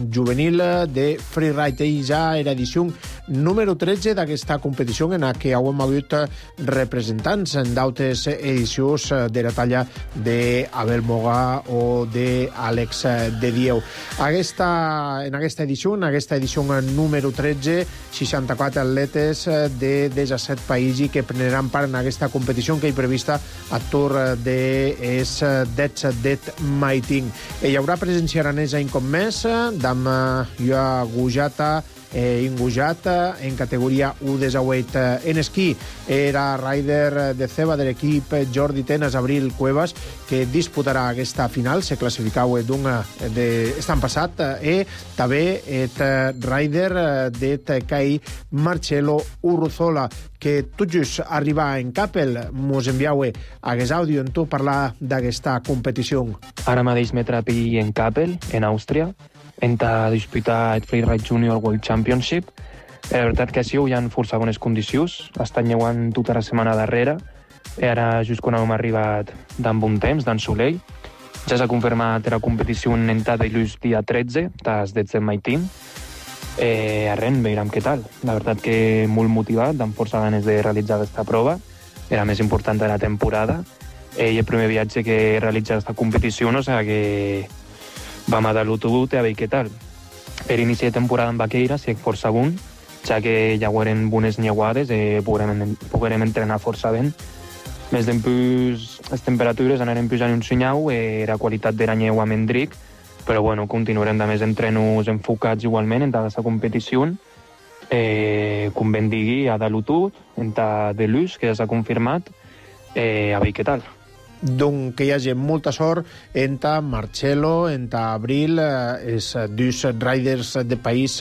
juvenil de freeride. I ja era edició número 13 d'aquesta competició en què avui hem hagut representants en d'altres edicions de la talla d'Abel Moga o d'Àlex de Dieu. En aquesta edició número 13, 64 atletes de 17 països que prendran part en aquesta competició que hi prevista a tour dels det Maiting. Hi haurà presència aranesa un cop més d'am Joa Gujata Ingujat en categoria U18 en esquí. Era rider de ceba de l'equip Jordi Tenas, Abril Cuevas, que disputarà aquesta final. Se classificau estan passat. I també el rider de CAI Marcelo Urruzola, que tot just arriba en Kappel. Mos enviau aquest àudio en tu parlar d'aquesta competició. Ara mateix me trapi en Kappel, en Àustria, en disputar el Freeride Junior World Championship. La veritat que sí, hi ha força bones condicions. Estan llevant tota la setmana darrere. I ara, just quan hem arribat d'en bon temps, d'en soleil, ja s'ha confirmat la competició en Tadellus dia 13, des de Maitín. Arren, veurem què tal. La veritat que molt motivat, amb força ganes de realitzar aquesta prova. Era més important de la temporada. I el primer viatge que he realitzat aquesta competició, o sigui que vam a dar-lo tot a veure què tal. Per inici de temporada en Baqueira, si força bon, ja que ja eren bones nieuades i podrem entrenar força ben. Més d'empús, les temperatures anaren pujant un senyau, la qualitat de la neu a Mendric, però bueno, continuarem de més entrenos enfocats igualment en aquesta competició. Com ben digui, a dar-lo tot, en de l'ús, que ja s'ha confirmat, a veure què tal. Donc que hi hagi molta sort entre Marcelo, entre Abril, els dos riders de país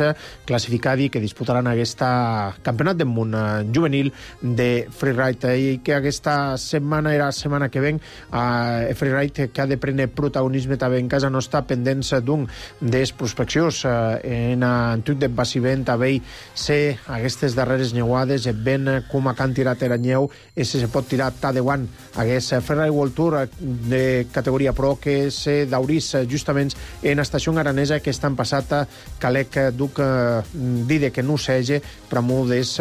classificats que disputaran aquesta campionat del món juvenil de freeride. I que aquesta setmana era la setmana que ven freeride que ha de prendre protagonisme també en casa nostra, pendents d'un des prospeccions en Antuc de Baciment també ser aquestes darreres neuades ben com a can tirat la neu i se pot tirar ta de guant aquest freeride World Tour de categoria pro que se daurís justament en estació aranesa que estan passat calec duc dide que no sege per moltes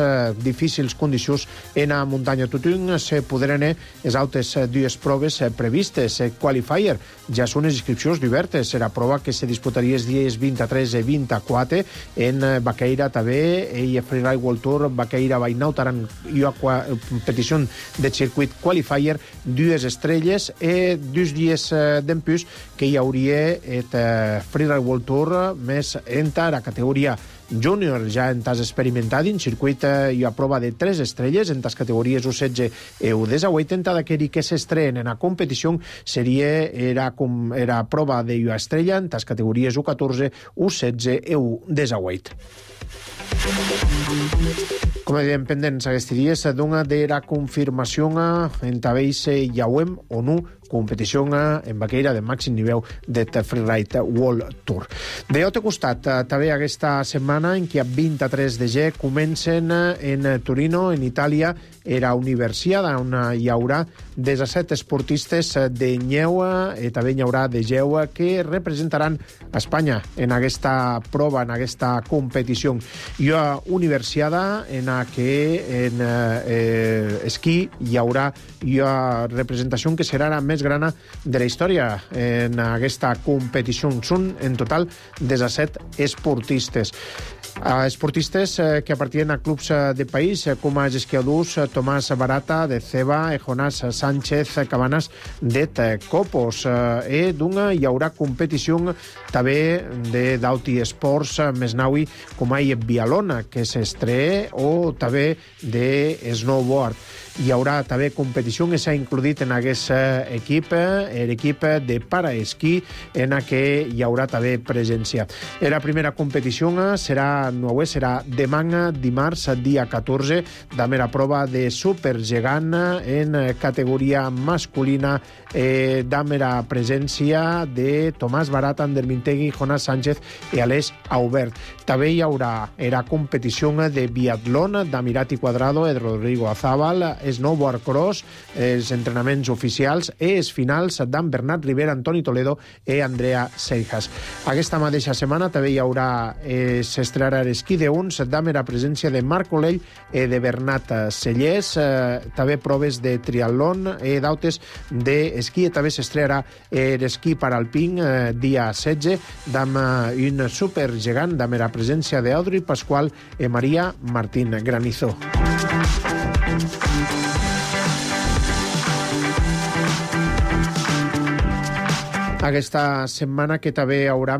difícils condicions en la muntanya. Tothom se podran les altres dues proves previstes. Qualifier ja són les inscripcions obertes. Serà prova que se disputaria els dies 23 i 24 en Baqueira també i a Freeride World Tour Baqueira Bainautaran i a competició de circuit Qualifier, dues estrelles i 2 dies d'empús que hi hauria el Freeride World Tour més entre la categoria júnior, ja en tas experimentat en circuit i a prova de 3 estrelles en tas categories U16 i U18. Tenta d'aquell que s'estrenen en la competició era prova de U estrella en tas categories U14, U16 i U18. Com dèiem, pendents aquests dies, dona de la confirmació en tabells Yauem o no competició en Baqueira de màxim nivell de Freeride World Tour. De l'altre costat, també aquesta setmana en què a 23 de gener comencen en Torino, en Itàlia, era Universiada, on hi haurà 17 esportistes de neu i també hi haurà de geu que representaran Espanya en aquesta prova, en aquesta competició. Hi ha Universiada en què en esquí hi haurà representació que serà més més grana de la història en aquesta competició. Són en total 17 esportistes. Esportistes que apartien a clubs de país com a esquiadors Tomàs Barata de Ceba, Jonás Sánchez Cabanas de Copos. Hi haurà competició també d'Auti Esports Mesnaui com a Bialona, que s'estreé, o també de snowboard. Hi haurà també competició que s'ha includit en aquesta equip, l'equip de paraesquí, en què hi haurà també presència. La primera competició serà demà, dimarts, dia 14, de la prova de supergegant en categoria masculina, de la presència de Tomàs Barata, Ander Mintegui, Jonás Sánchez i Aleix Aubert. També hi haurà la competició de biatlon d'Amirat i Quadrado, de Rodrigo Azábal, snowboard cross, els entrenaments oficials i els finals d'en Bernat Rivera, Antoni Toledo i Andrea Seijas. Aquesta mateixa setmana també hi haurà s'estrenarà l'esquí d'uns amb la presència de Marc Olell i de Bernat Cellers, també proves de triatlon i d'autes d'esquí, i també s'estrenarà l'esquí paralpín dia 16 amb un supergegant amb la presència d'Audrey Pasqual i Maria Martín Granizo. Aquesta setmana que també hi haurà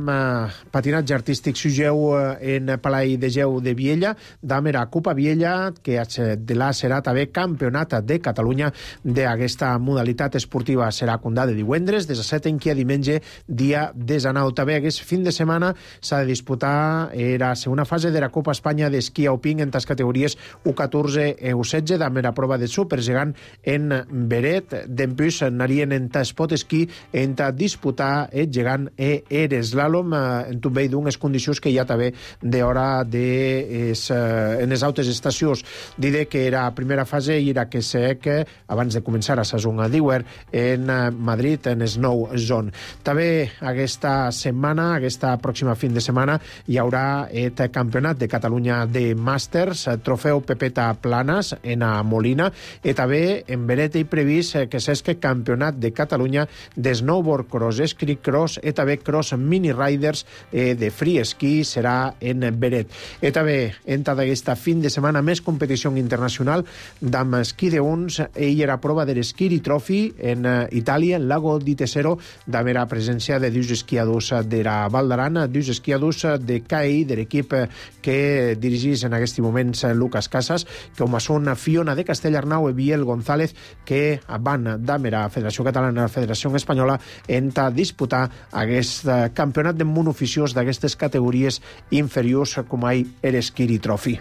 patinatge artístic sugeu en Palai de Geu de Viella, amb la Copa Viella, que serà també campionat de Catalunya d'aquesta modalitat esportiva. Serà condada de divendres, 17 en què diumenge, dia 19. També aquest fin de setmana s'ha de disputar la segona fase de la Copa Espanya d'esquí alpí en les categories U14 i U16, amb la prova de supergegant en Beret. D'empús anarien en spot esquí en disputar el gegant i l'eslàlom en també d'unes condicions que hi ha també d'hora en les altres estacions. Diré que la primera fase era que sec abans de començar a sezona d'Iwer en Madrid, en Snow Zone. També aquesta setmana, aquesta pròxima fin de setmana, hi haurà el Campionat de Catalunya de Màsters, trofeu Pepeta Planas en a Molina, i també en Beret i previst que s'esque Campionat de Catalunya de Snowboard Cross, Escrit Cross i també Cross Mini Riders de Free Ski serà en Beret. I també entra d'aquesta fin de setmana més competició internacional d'amb esquí d'uns i la prova de l'Skiri Trophy en Itàlia, en Lago di Tesero, amb la presència de dos esquiadors de la Val d'Aran, dos esquiadors de CAI, de l'equip que dirigís en aquest moment Lucas Casas, com són Fiona de Castellarnau i Biel González, que van amb la Federació Catalana i la Federació Espanyola en disputar aquest campionat de monoficiós d'aquestes categories inferiors com l'Skiri Trophy.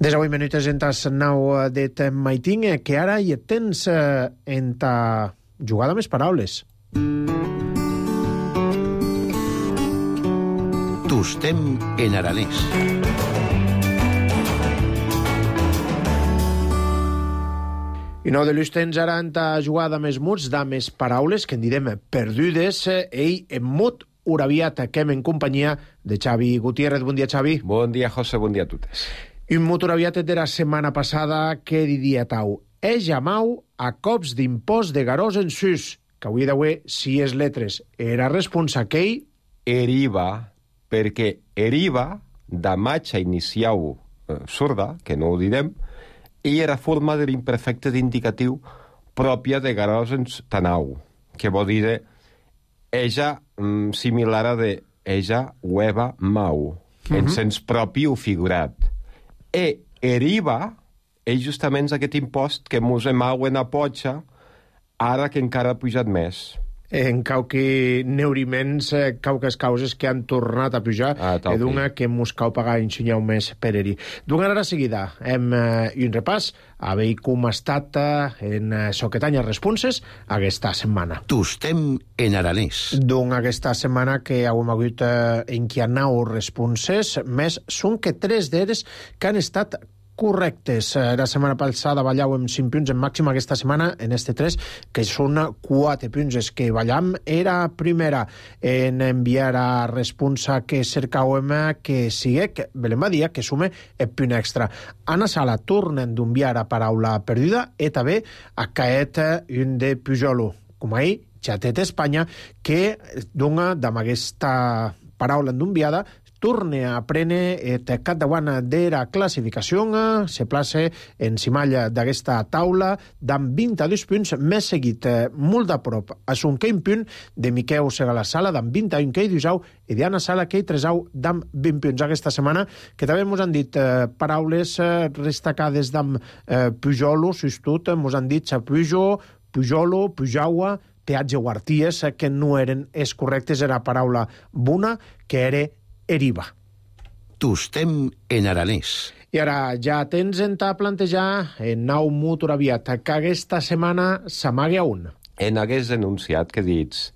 Des de 8 minuts en tas nau de Maiting, que ara hi tens en ta jugada més paraules. Tostem en aranès. I no de l'ustens ara en ta jugada més muts, da més paraules, que en direm perdudes, i en mut uraviat que en companyia de Xavi Gutiérrez. Bon dia, Xavi. Bon dia, José, bon dia a totes. Un mut uraviat de la setmana passada que diria tau. Jamau a cops d'impost de garós en sus, que avui d'avui, si és letres, era responsa qu'ell... Eriva, perquè eriva, de matxa iniciau sorda, que no ho direm, i era forma de l'imperfecte d'indicatiu pròpia de garós en tanau, que vol dir ella similar a de ella hueva mau, en sens propi o figurat. Eriva és justament aquest impost que mos emau en a potxa, ara que encara ha pujat més. En cauqui neuriments, cauques causes que han tornat a pujar, i d'una que mos cau pagar ensenyau més per eri. D'una ara seguida, hem un repàs a veure com ha estat en Soquetanya Responses aquesta setmana. Tostem en aranès. D'una aquesta setmana que hem hagut en qui ha nau responses, més són que 3 d'elles que han estat correctes. La setmana passada ballàvem 5 punts en màxima, aquesta setmana en este 3, que són 4 punts. És que ballam era primera en enviar a responsa que cercàvem que siguec Belén Badia, que sume el punt extra. Anna Sala tornen d'enviar a paraula perduda i també a caet un de Pujolo. Com ahir, Xatet Espanya, que dona amb aquesta paraula d'enviada torne a prendre el capdavant de la classificació, se place en cimalla d'aquesta taula d'amb 22 punts, més seguit molt a prop a son queim punt de Miquel Segala-Sala d'amb 21 quei d'Usau i d'Anna Sala quei Tresau d'amb 20 punts aquesta setmana, que també ens han dit paraules destacades d'amb Pujolo, sustut, ens han dit Pujo, Pujolo, Pujaua, Teatge o Arties, que no eren els correctes, era paraula bona, que era Eriva. Tostem en aranès. I ara ja tens en ta plantejar en nau motor aviat que aquesta setmana s'amague a un. En hagués denunciat que dits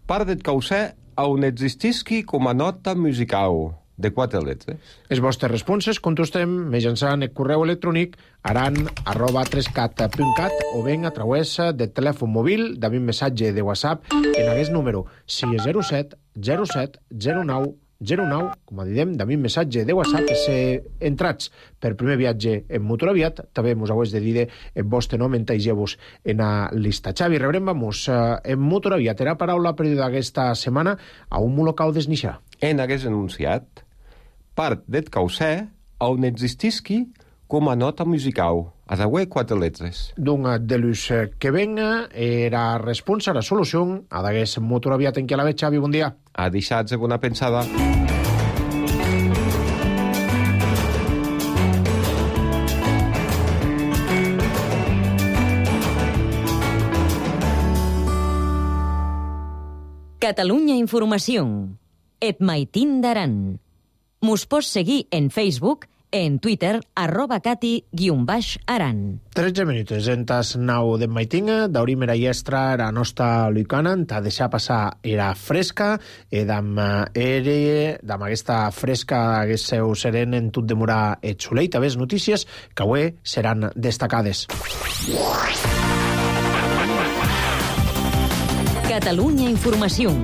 part del causè on existisqui com a nota musical de 4 letres. Les vostres responses contestem mitjançant el correu electrònic aran@3cat.cat o ben a través del telèfon mòbil d'un missatge de WhatsApp en aquest número 607 07 09 09, com a diem, d'un missatge de WhatsApp, se entrats per primer viatge en motor aviat, també mos haués de dir el vostre nom, entegeu-vos en la lista. Xavi, rebrem, vamos, en motor aviat, era paraula perduda aquesta setmana a un molocau desnixar. En hagués denunciat part del causè on existisqui com a nota musical, a d'auer 4 letres. D'un de l'ús que venga, era responsa, la solució, a d'agués motor aviat en què la veig, Xavi, bon dia. A deixar-se bona pensada. Catalunya Informació. Et maitin d'Aran. Mos pots seguir en Facebook, en Twitter, @cati_aran. 13 minuts, en tas nau de maitinga, d'aurim era iestra, era nostra lucana, t'ha deixat passar era fresca, d'am aquesta fresca haguéssiu seren en tot demorar et solei, també notícies que avui seran destacades. Catalunya Informació.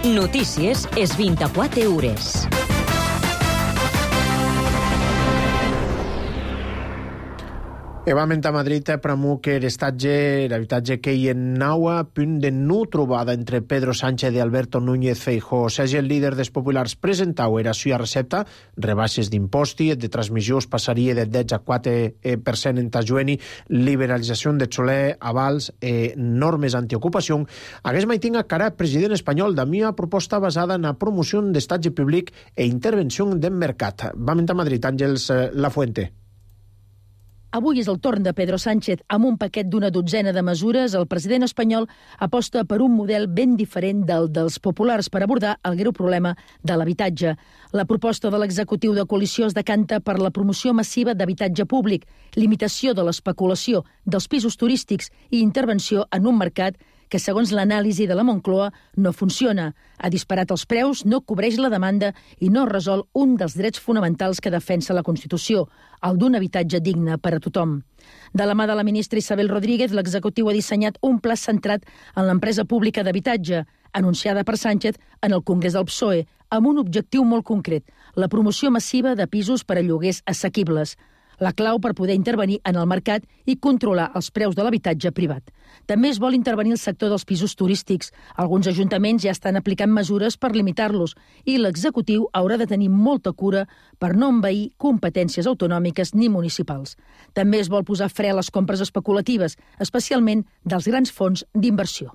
Notícies és 24 hores. Evament a Madrid promou que l'habitatge que hi en naua, punt de no trobada entre Pedro Sánchez i Alberto Núñez Feijóo. Sigui el líder dels populars presentau era suya recepta, rebaixes d'imposti, de transmissions passaria del 10 a 4% en tajueni, liberalització de xoler, avals, normes antiocupació. Hagués maitinga cara president espanyol de mia proposta basada en la promoció d'estatge públic e intervenció del mercat. Vament a Madrid, Àngels Lafuente. Avui és el torn de Pedro Sánchez. Amb un paquet d'una dotzena de mesures, el president espanyol aposta per un model ben diferent del dels populars per abordar el greu problema de l'habitatge. La proposta de l'executiu de coalició es decanta per la promoció massiva d'habitatge públic, limitació de l'especulació, dels pisos turístics i intervenció en un mercat que, segons l'anàlisi de la Moncloa, no funciona. Ha disparat els preus, no cobreix la demanda i no resol un dels drets fonamentals que defensa la Constitució, el d'un habitatge digne per a tothom. De la mà de la ministra Isabel Rodríguez, l'executiu ha dissenyat un pla centrat en l'empresa pública d'habitatge, anunciada per Sánchez en el Congrés del PSOE, amb un objectiu molt concret, la promoció massiva de pisos per a lloguers assequibles. La clau per poder intervenir en el mercat i controlar els preus de l'habitatge privat. També es vol intervenir el sector dels pisos turístics. Alguns ajuntaments ja estan aplicant mesures per limitar-los i l'executiu haurà de tenir molta cura per no envair competències autonòmiques ni municipals. També es vol posar fre a les compres especulatives, especialment dels grans fons d'inversió.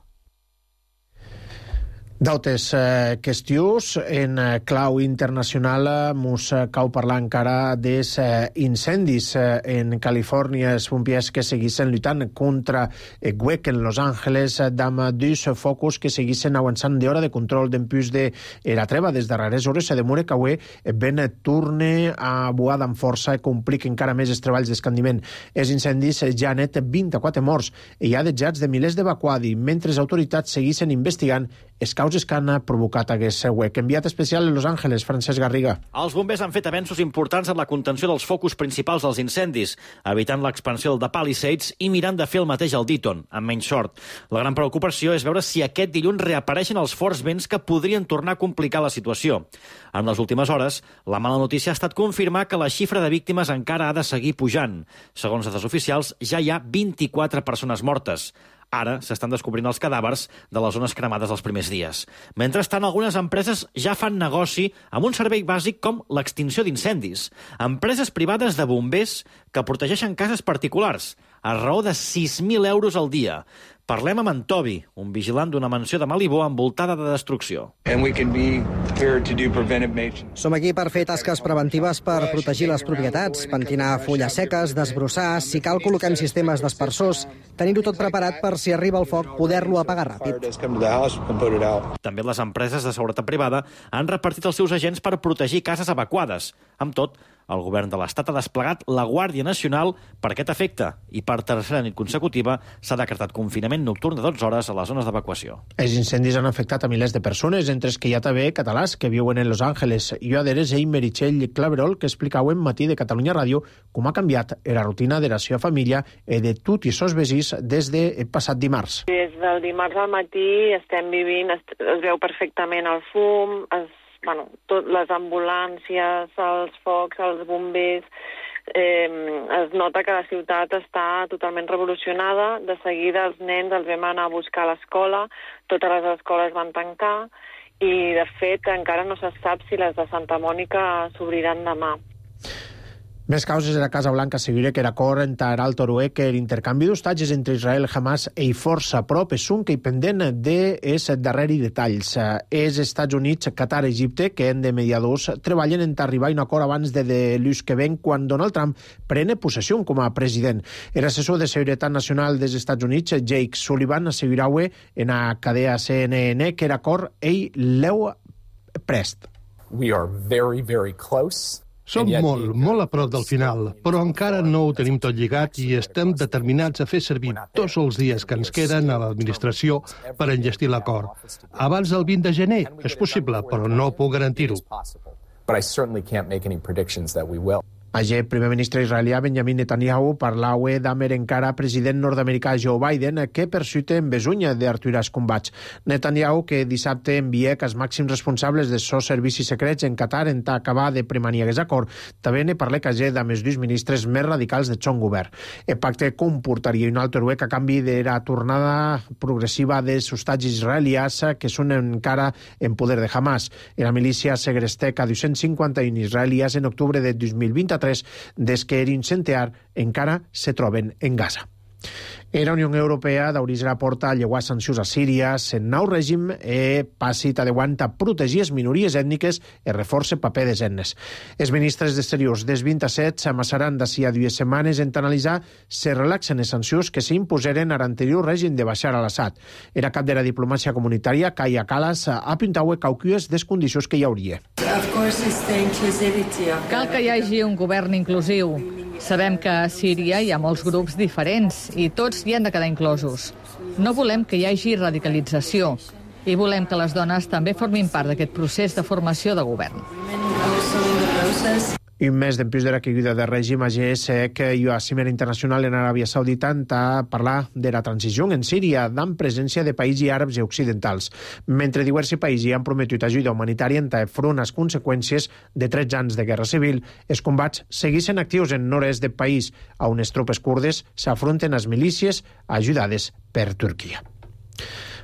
D'altres qüestions, en clau internacional mos cau parlar encara dels incendis en Califòrnia, els pompiers que seguissin lluitant contra el huec en Los Angeles, d'amb dos focus que seguissin avançant d'hora de control d'empús de la treva. Des de rares hores se demora que avui ben torne a boar amb força i complica encara més els treballs d'escandiment. Els incendis ja han net 24 morts i hi ha desjats de milers d'evacuats, mentre les autoritats seguissin investigant els causes causes que han provocat aquest huec. Enviat especial a Los Ángeles, Francesc Garriga. Els bombers han fet avenços importants en la contenció dels focus principals dels incendis, evitant l'expansió de Palisades i mirant de fer el mateix al Deaton, amb menys sort. La gran preocupació és veure si aquest dilluns reapareixen els forts vents que podrien tornar a complicar la situació. En les últimes hores, la mala notícia ha estat confirmar que la xifra de víctimes encara ha de seguir pujant. Segons dades oficials, ja hi ha 24 persones mortes. Ara s'estan descobrint els cadàvers de les zones cremades els primers dies. Mentrestant, algunes empreses ja fan negoci amb un servei bàsic com l'extinció d'incendis. Empreses privades de bombers que protegeixen cases particulars, a raó de 6.000 euros al dia. Parlem amb en Toby, un vigilant d'una mansió de Malibó envoltada de destrucció. Som aquí per fer tasques preventives per protegir les propietats, pentinar fulles seques, desbrossar, si cal col·loquem sistemes d'aspersors, tenir-ho tot preparat per si arriba el foc poder-lo apagar ràpid. També les empreses de seguretat privada han repartit els seus agents per protegir cases evacuades. Amb tot, el govern de l'Estat ha desplegat la Guàrdia Nacional per aquest efecte i per tercera nit consecutiva s'ha decretat confinament nocturn de 12 hores a les zones d'evacuació. Els incendis han afectat a milers de persones, entre els que hi ha també catalans que viuen en Los Ángeles. Jo adheres a Meritxell Claverol, que explicau en Matí de Catalunya Ràdio com ha canviat la rutina de la seva família i de tots els seus veïns des de passat dimarts. Des del dimarts al matí estem vivint, es veu perfectament el fum, les ambulàncies, els focs, els bombers, es nota que la ciutat està totalment revolucionada. De seguida els nens els vam anar a buscar a l'escola, totes les escoles van tancar i, de fet, encara no se sap si les de Santa Mònica s'obriran demà. Més causes de la Casa Blanca asseguren que l'acord entre Alto Orué que l'intercanvi d'hostatges entre Israel, Hamas i força prop és un que hi pendent dels darrers detalls. Els Estats Units, Qatar i Egipte, que han de mediadors, treballen en arribar a un acord abans de l'ús que ven quan Donald Trump prene possessió com a president. L'assessor de Seguretat Nacional dels Estats Units, Jake Sullivan, assegurava en la cadena CNN que l'acord ell l'eu prest. We are very, very close. Som molt a prop del final, però encara no ho tenim tot lligat i estem determinats a fer servir tots els dies que ens queden a l'administració per enllestir l'acord. Abans del 20 de gener és possible, però no puc garantir-ho. But I certainly can't make any predictions that we will. Ayer, primer ministre israelià Benjamin Netanyahu parlava d'Amer encara president nord-americà Joe Biden, que persuita en besunya d'aturar els combats. Netanyahu, que dissabte envia que els màxims responsables dels seus servicis secrets en Qatar en acabar de premaniar aquest acord, també ne parla que ayer amb els dos ministres més radicals de son govern. El pacte comportaria un altre huec a canvi de la tornada progressiva dels hostatges israelians que són encara en poder de Hamas. La milícia segresteca 251 israelians en octubre de 2023 des que eren centenar encara se troben en Gaza. La Unió Europea d'obrir la porta a llevar sancions a Síria, el nou règim passi t'adeuant a protegir les minories ètniques i reforça paper des etnes. Els ministres d'Exteriors dels 27 s'amassaran d'ací a 2 setmanes en analitzar si relaxen les sancions que s'imposeren a l'anterior règim de Bashar al-Assad. Era cap de la diplomàcia comunitària, Kaja Kallas, apuntava cauques des condicions que hi hauria. Cal que hi hagi un govern inclusiu. Sabem que a Síria hi ha molts grups diferents i tots hi han de quedar inclosos. No volem que hi hagi radicalització i volem que les dones també formin part d'aquest procés de formació de govern. I un mes després de la caiguda del règim, AGS i a Cimera Internacional en Aràbia Saudita a parlar de la transició en Síria, amb presència de països àrabs i occidentals. Mentre diversos països han prometut ajuda humanitària en front a les conseqüències de 13 anys de guerra civil, els combats segueixen actius en nord-est del país, on les tropes kurdes s'afronten a les milícies ajudades per Turquia.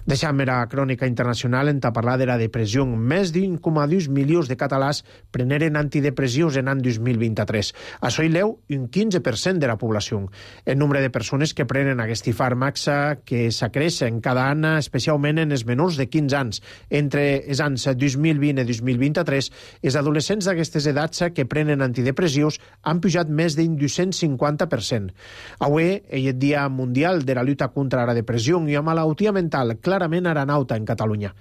Deixem la crònica internacional en parlar de la depressió. Més d'1,2 milions de catalans preneren antidepressius en l'any 2023. Això hi leu un 15% de la població. El nombre de persones que prenen aquests fàrmacs que s'acreixen cada any, especialment en els menors de 15 anys. Entre els anys 2020 i 2023, els adolescents d'aquestes edats que prenen antidepressius han pujat més d'un 250%. Avui és el Dia Mundial de la lluita contra la depressió i la malaltia mental, clarament aranauta en Catalunya.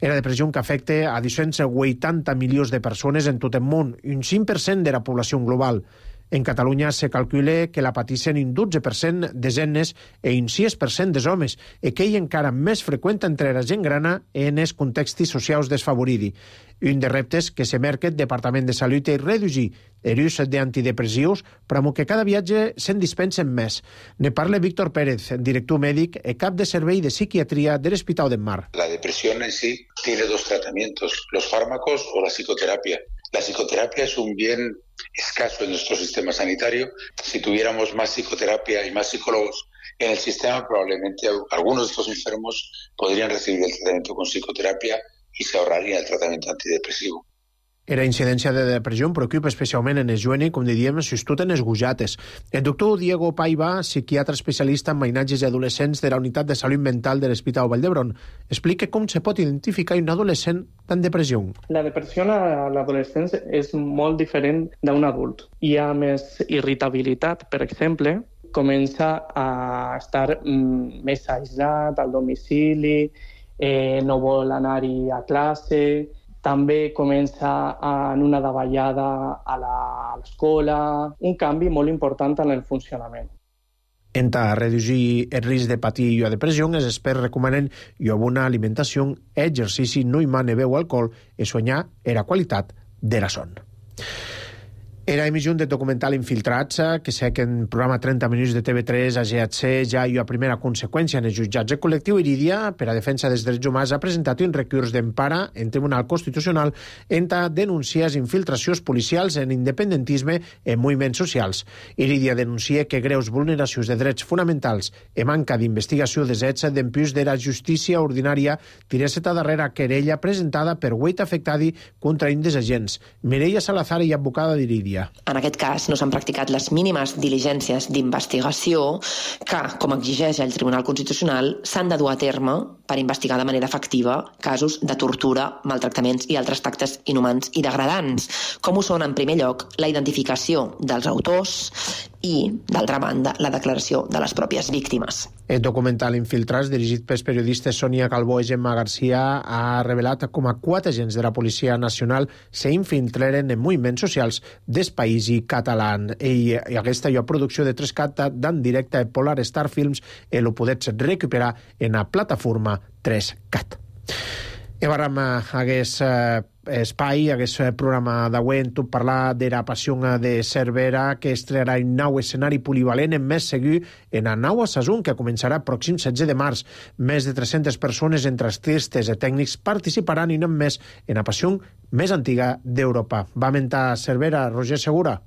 La depressió que afecta a 280 milions de persones en tot el món, un 5% de la població global. En Catalunya se calcula que la patissin un 12% de dones i un 6% de homes, i que hi encara més freqüent entre la gent grana en els contextos socials desfavorits. Un dels reptes que se marca el Departament de Salut és reduir l'ús d'antidepressius, però que cada viatge se'n dispensen més. Ne parla Víctor Pérez, director mèdic i cap de servei de psiquiatría del Hospital del Mar. La depresión en sí tiene dos tratamientos, los fármacos o la psicoterapia. La psicoterapia es un bien escaso en nuestro sistema sanitario. Si tuviéramos más psicoterapia y más psicólogos en el sistema, probablemente algunos de estos enfermos podrían recibir el tratamiento con psicoterapia i s'ahorraria el tractament antidepressiu. La incidència de depressió preocupa especialment en els joves, com diríem, sobretot en els gujates. El doctor Diego Paiva, psiquiatre especialista en mainatges i adolescents de la Unitat de Salut Mental de l'Hospital Vall d'Hebron, explica com se pot identificar un adolescent en depressió. La depressió a l'adolescència és molt diferent d'un adult. Hi ha més irritabilitat, per exemple, comença a estar més aïllat al domicili, no vol anar-hi a classe, també comença en una davallada a l'escola, un canvi molt important en el funcionament. En reduir el risc de patir la depressió, els experts recomanen una bona alimentació, exercici, no beure alcohol i soñar la qualitat de la son. Era emissió de documental Infiltrats, que sé que en programa 30 minuts de TV3 a GHC ja hi ha primera conseqüència en els jutjats. El col·lectiu Iridia, per a defensa dels drets humans, ha presentat un recurs d'empara en Tribunal Constitucional en denunciar infiltracions policials en independentisme en moviments socials. Iridia denuncia que greus vulneracions de drets fonamentals i manca d'investigació dels hets d'empús de la justícia ordinària tiressa darrere querella presentada per 8 afectadi contra un dels agents. Mireia Salazar i advocada d'Iridia. En aquest cas no s'han practicat les mínimes diligències d'investigació que, com exigeix el Tribunal Constitucional, s'han de dur a terme per investigar de manera efectiva casos de tortura, maltractaments i altres actes inhumans i degradants, com ho són, en primer lloc, la identificació dels autors i, d'altra banda, la declaració de les pròpies víctimes. El documental Infiltrats, dirigit pels periodistes Sonia Calbó i Gemma Garcia, ha revelat com a 4 agents de la Policia Nacional s'infiltraren en moviments socials del país català. I aquesta producció de 3CAT d'en directe a Polar Star Films ho podets recuperar en la plataforma 3CAT. I vam hagués espai, hagués programa d'avui en tot parlar de la passió de Cervera, que estrenarà un nou escenari polivalent en més segur en la nau a Sasun, que començarà pròxim 16 de març. Més de 300 persones entre artistes i tècnics participaran i no més en la passió més antiga d'Europa. Va mentar Cervera, Roger Segura.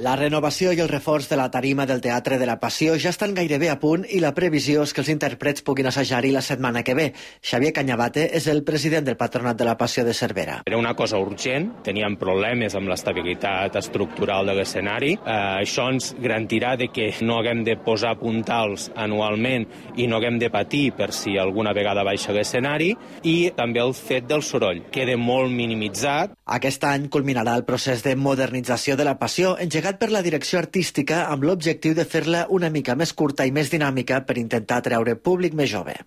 La renovació i el reforç de la tarima del Teatre de la Passió ja estan gairebé a punt i la previsió és que els intèrprets puguin assajar-hi la setmana que ve. Xavier Cañabate és el president del Patronat de la Passió de Cervera. Era una cosa urgent, teníem problemes amb l'estabilitat estructural de l'escenari. Això ens garantirà de que no haguem de posar puntals anualment i no haguem de patir per si alguna vegada baixa l'escenari, i també el fet del soroll queda molt minimitzat. Aquest any culminarà el procés de modernització de la Passió, engegat per la direcció artística amb l'objectiu de fer-la una mica més curta i més dinàmica per intentar atraure públic més jove.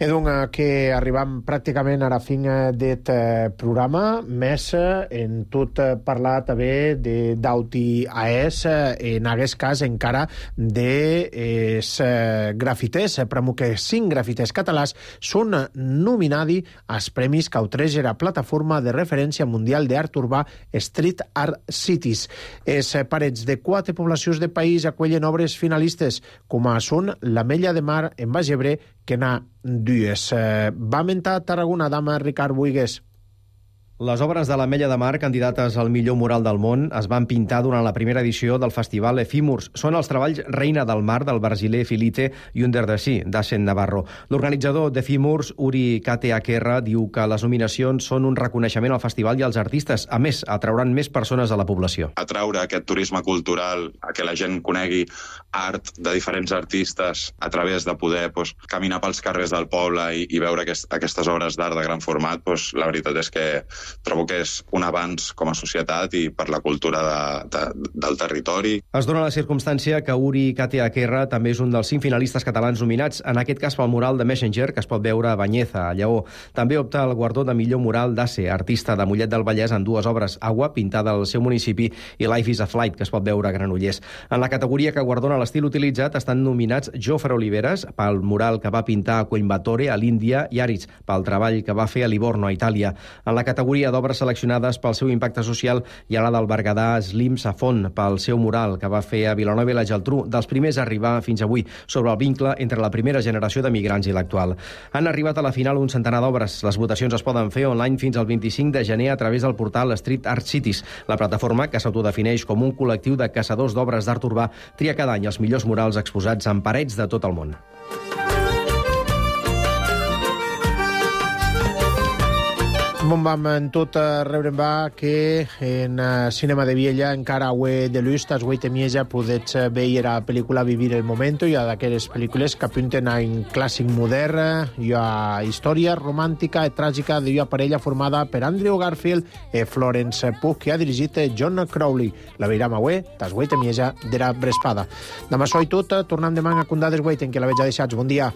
Que arribam pràcticament a la fin d'aquest programa, més en tot parlar també d'auti AES, en aquest cas encara dels grafiters, però que 5 grafiters catalans són nominats als premis que otorga la plataforma de referència mundial d'art urbà Street Art Cities. Els parets de 4 poblacions del país acollen obres finalistes, com són l'Ametlla de Mar en Baix Ebre, que n'ha dues. Va mentar a Tarragona, dama Ricard Buigues. Les obres de l'Ametlla de Mar, candidates al millor mural del món, es van pintar durant la primera edició del festival Efímurs. Són els treballs Reina del Mar, del brasiler Filite, i Under the Sea, d'Asen Navarro. L'organitzador d'Efímurs, Uri Kateakerra, diu que les nominacions són un reconeixement al festival i als artistes. A més, atrauran més persones a la població. Atraure aquest turisme cultural, a que la gent conegui art de diferents artistes a través de poder caminar pels carrers del poble i veure aquestes obres d'art de gran format, la veritat és que trobo que és un avanç com a societat i per la cultura del territori. Es dona la circumstància que Uri Katia-Kerra també és un dels 5 finalistes catalans nominats, en aquest cas pel mural de Messenger, que es pot veure a Banyeza, a Lleó. També opta al guardó de millor mural d'Ace, artista de Mollet del Vallès, en 2 obres, Agua, pintada al seu municipi, i Life is a Flight, que es pot veure a Granollers. En la categoria que guardona l'estil utilitzat estan nominats Jofre Oliveres, pel mural que va pintar a Coimbatore, a l'Índia, i Aritz, pel treball que va fer a Livorno, a Itàlia. En la categoria d'obres seleccionades pel seu impacte social hi ha la del berguedà Slim Safon, pel seu mural que va fer a Vilanova i la Geltrú, dels primers a arribar fins avui, sobre el vincle entre la primera generació de migrants i l'actual. Han arribat a la final un centenar d'obres. Les votacions es poden fer online fins al 25 de gener a través del portal Street Art Cities. La plataforma, que s'autodefineix com un col·lectiu de caçadors d'obres d'art urbà, tria cada any els millors murals exposats en parets de tot el món. Bon vam en tot rebrem va que en Cinema de Viella encara avui de l'Ust es avui temieja podets veure la pel·lícula Vivir el Momento, i a d'aquelles pel·lícules que apunten a un clàssic modern i a història romàntica i tràgica d'una parella formada per Andrew Garfield i Florence Pugh, que ha dirigit John Crowley. La veiram avui, tas avui temieja de la Brespada. Demà soy tot, tornem demà a condades avui, en què la veig deixats. Bon dia.